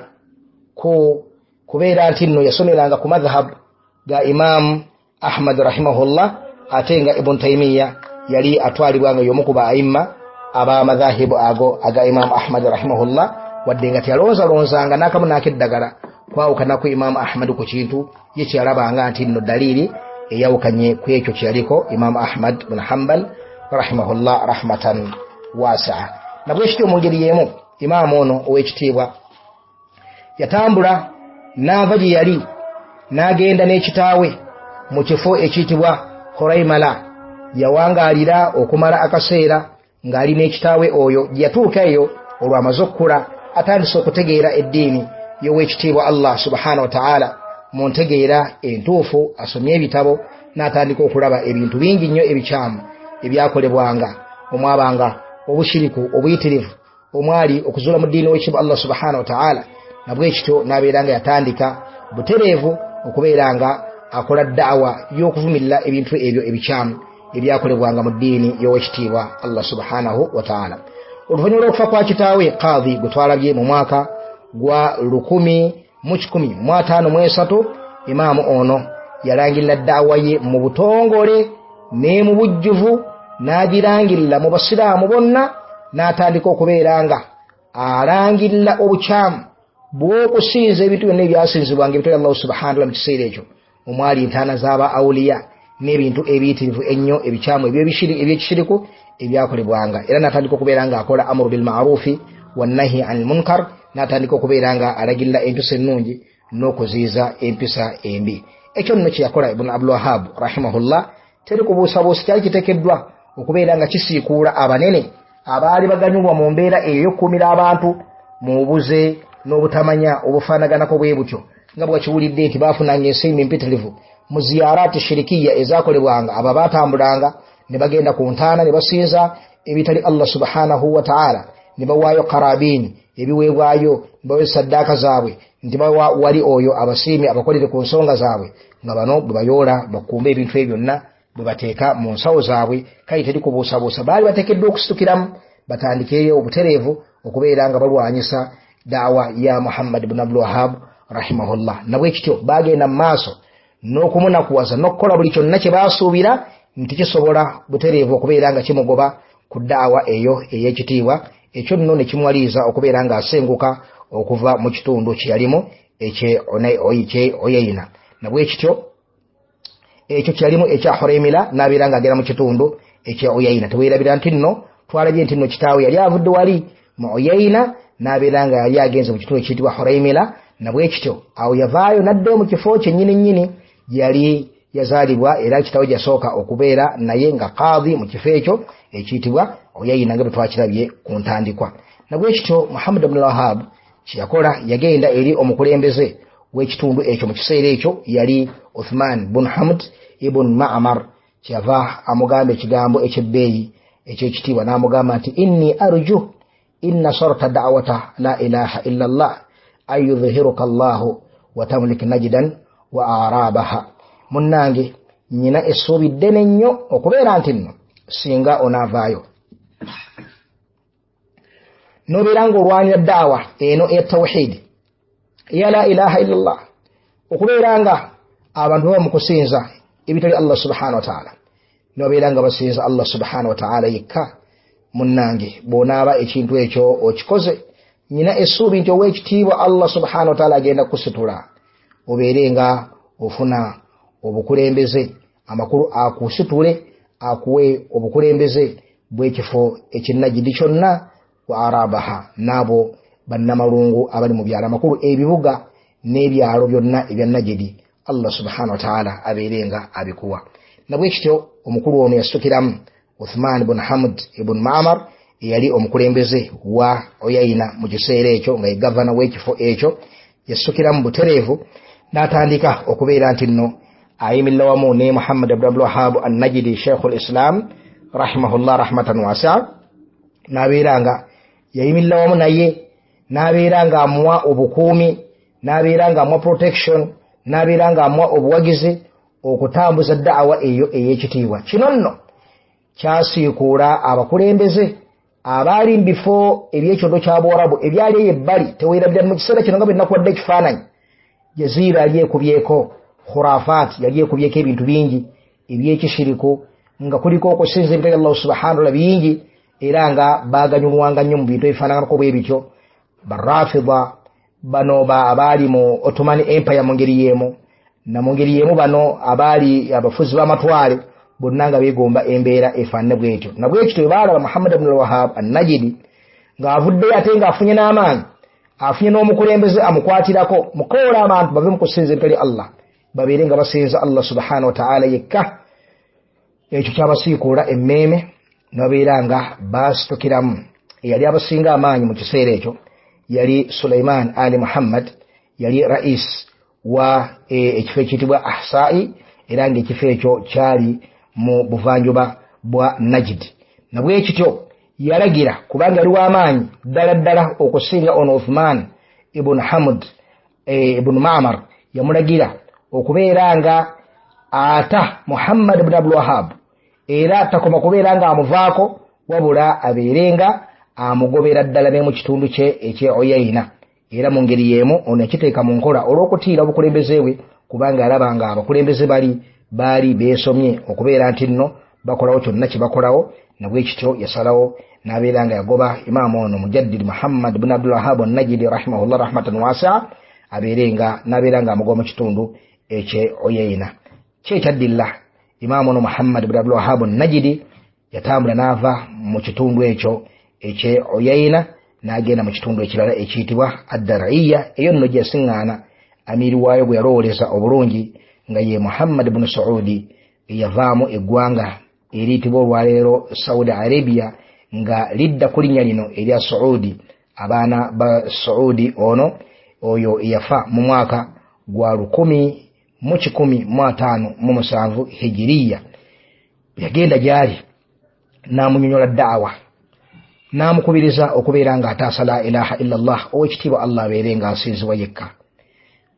ku kubeera nti nno yasomeranga ku madhhab ga Imam Ahmad rahimahullah. Ate nga Ibn Taymiya yali atwalibwa nga y'omu ku ba aimma ab'amadhahibu ago aga Imamu Ahmad rahimahullah, wadde nga teyalonzalonzanga n'akamu n'akeddagala kwawukana ku Imamu Ahmad ku kintu ye kyeyalabanga nti nno dalili eyawukanye ku ekyo kyeyaliko Imamu Ahmad bun Hambal rahimahullah rahmatan wasia. Nabwekityo mu ngeri y'emu imaamu ono ow'ekitiibwa yatambula n'ava gye yali n'agenda n'ekitaawe mu kifo ekiyitibwa Horaimala. Yawangaalira okumala akaseera ng'ali n'ekitaawe oyo. Gye yatuuka eyo olwo amaze okukula, atandise okutegeera eddiini y'ow'ekitiibwa Allah subhanahu wa ta'ala mu ntegeera entuufu, asomye ebitabo n'atandika okulaba ebintu bingi nnyo ebikyamu ebyakolebwanga, omwabanga obushiriku obuyitirivu, omwali okuzuula mu ddiini w'ekitiibwa Allah subhanahu wa ta'ala. Nabwekityo n'abeera nga yatandika butereevu okubeera nga akola da'awa y'okuvumirira ebintu ebyo ebikyamu ebyakolebwanga mu ddiini y'owekitiibwa Allah subhanahu wa ta'ala. Oluvannyuma lw'okufa kwa kitaawe Qadhi gwe twalabye mu mwaka gwa 1153, imaamu ono yalangirira da'awa ye mu butongole ne mu bujjuvu, n'agirangirira mu basiraamu bonna, n'atandika okubeera nga alangirira obukyamu bw'okusinza ebintu byonna ebyasinzibwanga ebitali Allah subhanahu wa ta'ala mu kiseera ekyo, omwali entaana z'aba awuliya n'ebintu ebiyitirivu ennyo ebikyamu ebyekishiriku ebyakolebwanga. Era n'atandika okubeera nga akola amru bil ma'rufi wannahi anil munkar, n'atandika okubeera nga alagirira empisa ennungi n'okuziyiza empisa embi. Ekyo nno kye yakola Ibn Abdul Wahhab rahimahullah teri kubuusabuusa, kyali kiteekeddwa okubeera nga kisiikuula abanene abaali baganyulwa mu mbeera eyo y'okukuumira abantu mu bubuze n'obutamanya obufaanaganako bwe butyo, nga bwekiwulidde nti baafunanga ensimbi mpitirivu mu ziyaraati shirikiya ezakolebwanga. Abo baatambulanga ne bagenda ku ntaana ne basinza ebitali Allah subhanahu wa ta'ala, ne bawaayo karabiini ebiweebwayo, ne bawa saddaaka zaabwe nti bawa wali oyo abasiimi abakolere ku nsonga zaabwe, nga bano bwe bayoola bakumba ebintu ebyo byonna bwe bateeka mu nsawo zaabwe. Kale teri kubuusabuusa baali bateekeddwa okusitukiramu batandikeyo obutereevu okubeera nga balwanyisa da'wa ya Muhammad ibn Abdul Wahhab rahimahullah. Nabwekityo bagenda mu maaso n'okumunakuwaza n'okukola buli kyonna kye baasuubira nti kisobola butereevu okubeera nga kimugoba ku da'wa eyo ey'ekitiibwa. Ekyo nno ne kimuwaliriza okubeera ng'asenguka okuva mu kitundu kye yalimu ekye Oyeyina. Nabwekityo ekyo kyalimu ekya Horaimila n'abeera ng'agenda mu kitundu ekya Oyeyina. Teweerabira nti nno twalabye nti nno kitaawe yali avudde wali mu Oyeyina n'abeera nga yali agenze mu kitundu ekiyitibwa Horaimila. Nabwekityo awo yavaayo n'addayo mu kifo kye nnyini nnyini gye yali yazaalibwa, era kitaawe gyasooka okubeera naye nga Qadhi mu kifo ekyo ekiyitibwa Oyeyina nga bwe twakirabye ku ntandikwa. Nabwekityo Muhammad ibn Wahhab kye yakola, yagenda eri omukulembeze w'ekitundu ekyo mu kiseera ekyo yali Uthman bun Hamd ibn Ma'mar, kyeyava amugamba ekigambo eky'ebbeeyi eky'ekitiibwa n'amugamba nti inni arju in nasarta da'wata la ilaha illa Allah an yudhhiruka Allahu wa tamlik najdan wa arabaha. Munnange nnyina essuubi ddene nnyo okubeera nti nno singa onaavaayo n'obeera ng'olwanira da'wa eno eya tawhidi eya la ilaha illa Allah, okubeera nga abantu baba mu kusinza ebitali Allah subhanahu wa ta'ala, n'obeera nga basinza Allah subhanahu wa ta'ala yekka. Munnange bw'onaaba ekintu ekyo okikoze, nnyina essuubi nti ow'ekitiibwa Allah subhanahu wa ta'ala agenda kukusitula obeere nga ofuna obukulembeze, amakulu akusitule akuwe obukulembeze bw'ekifo ekinnajidi kyonna wa arabaha, n'abo bannamalungu abali mu byalo, amakulu ebibuga n'ebyalo byonna ebya Najidi Allah subhanahu wa ta'ala abeere nga abikuwa. Nabwekityo omukulu ono yasitukiramu Uthman ibn Hamd ibn Ma'mar eyali omukulembeze wa Oyayina mu kiseera ekyo nga ye gavana w'ekifo ekyo, yasitukiramu butereevu n'atandika okubeera nti nno ayimirira wamu ne Muhammad ibn Abdul Wahhab an-Najdi Sheikhul Islam rahimahullah rahmatan wasi'a, n'abeera nga yayimirira wamu naye, n'abeera nga amuwa obukuumi, n'abeera nga amuwa protection, n'abeera nga amuwa obuwagizi okutambuza da'wa eyo ey'ekitiibwa. Kino nno kyasiikuula abakulembeze abaali mu bifo eby'ekyondo kya Buwarabu ebyali eyo ebbali. Teweerabira mu kiseera kino nga bwe nnakuwadde ekifaananyi, Jaziira yali ekubyeko khurafat, yali ekubyeko ebintu bingi ebyekishiriku, nga kuliko okusinza ebitali Allahu subhanahu wa ta'ala bingi, era nga baganyulwanga nnyo mu bintu ebifaananako bwe bityo. Barafida bano abaali mu Ottoman Empire mu ngeri y'emu, na mu ngeri y'emu bano abaali abafuzi b'amatwale bonna nga beegomba embeera efaanane bwetyo. Na bwekityo bwe baalaba Muhammad ibn al-Wahhab an-Najidi ng'avuddeyo ate ng'afunye n'amaanyi, afunye n'omukulembeze amukwatirako mukoola abantu bave mu kusinza ebitali Allah, babeere nga basinza Allah subhanahu wa ta'ala yekka, ekyo kyabasiikuula emmeeme ne babeera nga baasitukiramu. Eyali abasinga amaanyi mu kiseera ekyo yali Sulaiman Ali Muhammad, yali rais wa ekifo ekiyitibwa Ahsai, era ng'ekifo ekyo kyali mu buvanjuba bwa Najd. Na bwe kityo yalagira, kubanga yali w'amaanyi ddala ddala okusinga ono Uthman ibn Hamd ibn Ma'mar, yamulagira okubeera nga ata Muhammad ibn Abdul Wahhab, era takoma kubeera nga amuvaako, wabula abeere nga amugobera ddala ne mu kitundu kye eky'e Uyayna. Era mu ngeri y'emu ono yakiteeka mu nkola olw'okutiira obukulembeze bwe, kubanga alaba nga abakulembeze bali baali beesomye okubeera nti nno bakolawo kyonna kye bakolawo. Na bwe kityo yasalawo n'abeera nga yagoba imaamu ono Mujaddid Muhammad ibn Abdul Wahhab an-Najdi rahimahullah rahmatan wasi'a, abeere nga n'abeera nga amugoba mu kitundu eky'e Uyayna. Ki ekyaddilla imaamu ono Muhammad ibn Abdul Wahhab an-Najdi yatambula n'ava mu kitundu ekyo eky'e Uyayna n'agenda mu kitundu ekirala ekiyitibwa Ad-Dar'iyya. Eyo nno gye yasiŋŋaana amiiri waayo gwe yalowooleza obulungi nga ye Muhammad ibn Saudi, eyavaamu eggwanga eriyitibwa olwaleero Saudi Arabia, nga lidda ku linnya lino erya Saudi, abaana ba Saudi. Ono oyo eyafa mu mwaka gwa 1157 Hijiriya, yagenda gy'ali n'amunyonyola da'awa, n'amukubiriza okubeera ng'ataasa la ilaha illallah, owekitiibwa Allah abeere ng'asinzibwa yekka.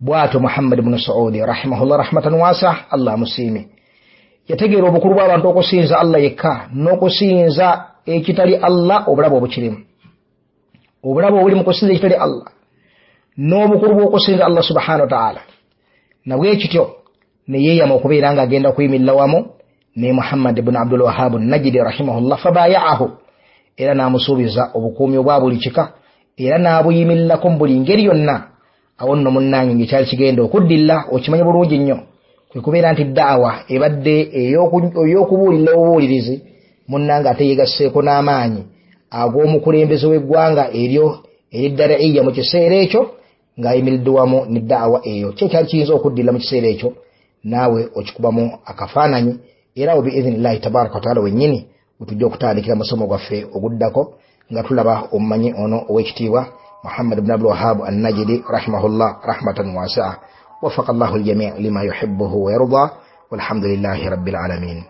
Bw'atyo Muhammad ibn Saudi rahimahullah rahmatan wasa, Allah amusiime, yategeera obukulu bw'abantu okusinza Allah yekka n'okusinza ekitali Allah, obulabe obukirimu, obulabe obuli mu kusinza ekitali Allah n'obukulu bw'okusinza Allah subhanahu wa ta'ala. Na bwe kityo ne yeeyama okubeera ng'agenda kuyimirira wamu ne Muhammad ibn Abdul Wahhab an-Najdi rahimahullah, fabaya'ahu, era n'amusuubiza obukuumi obwa buli kika, era n'abuyimirirako mu buli ngeri yonna. Awo nno munnange ng'ekyali kigenda okuddilla okimanye bulungi nnyo kwe kubeera nti da'awa ebadde ey'okubuulirira obubuulirizi, munnange ate yeegasseeko n'amaanyi ag'omukulembeze w'eggwanga eryo ery'Dar'iyya mu kiseera ekyo, ng'ayimiridde wamu ne da'awa eyo. Ki ekyali kiyinza okuddilla mu kiseera ekyo naawe okikubamu akafaananyi. Era awo biidhinillahi tabaraka wataala wennyini wetujja okutandikira musomo gwaffe oguddako nga tulaba omumanyi ono ow'ekitiibwa Muhammad ibn Abdul Wahhab an-Najdi rahimahullah rahmatan wasi'a. Wafaqa Allahu al-jami' lima yuhibbuhu wa yarda, walhamdulillahi rabbil alamin.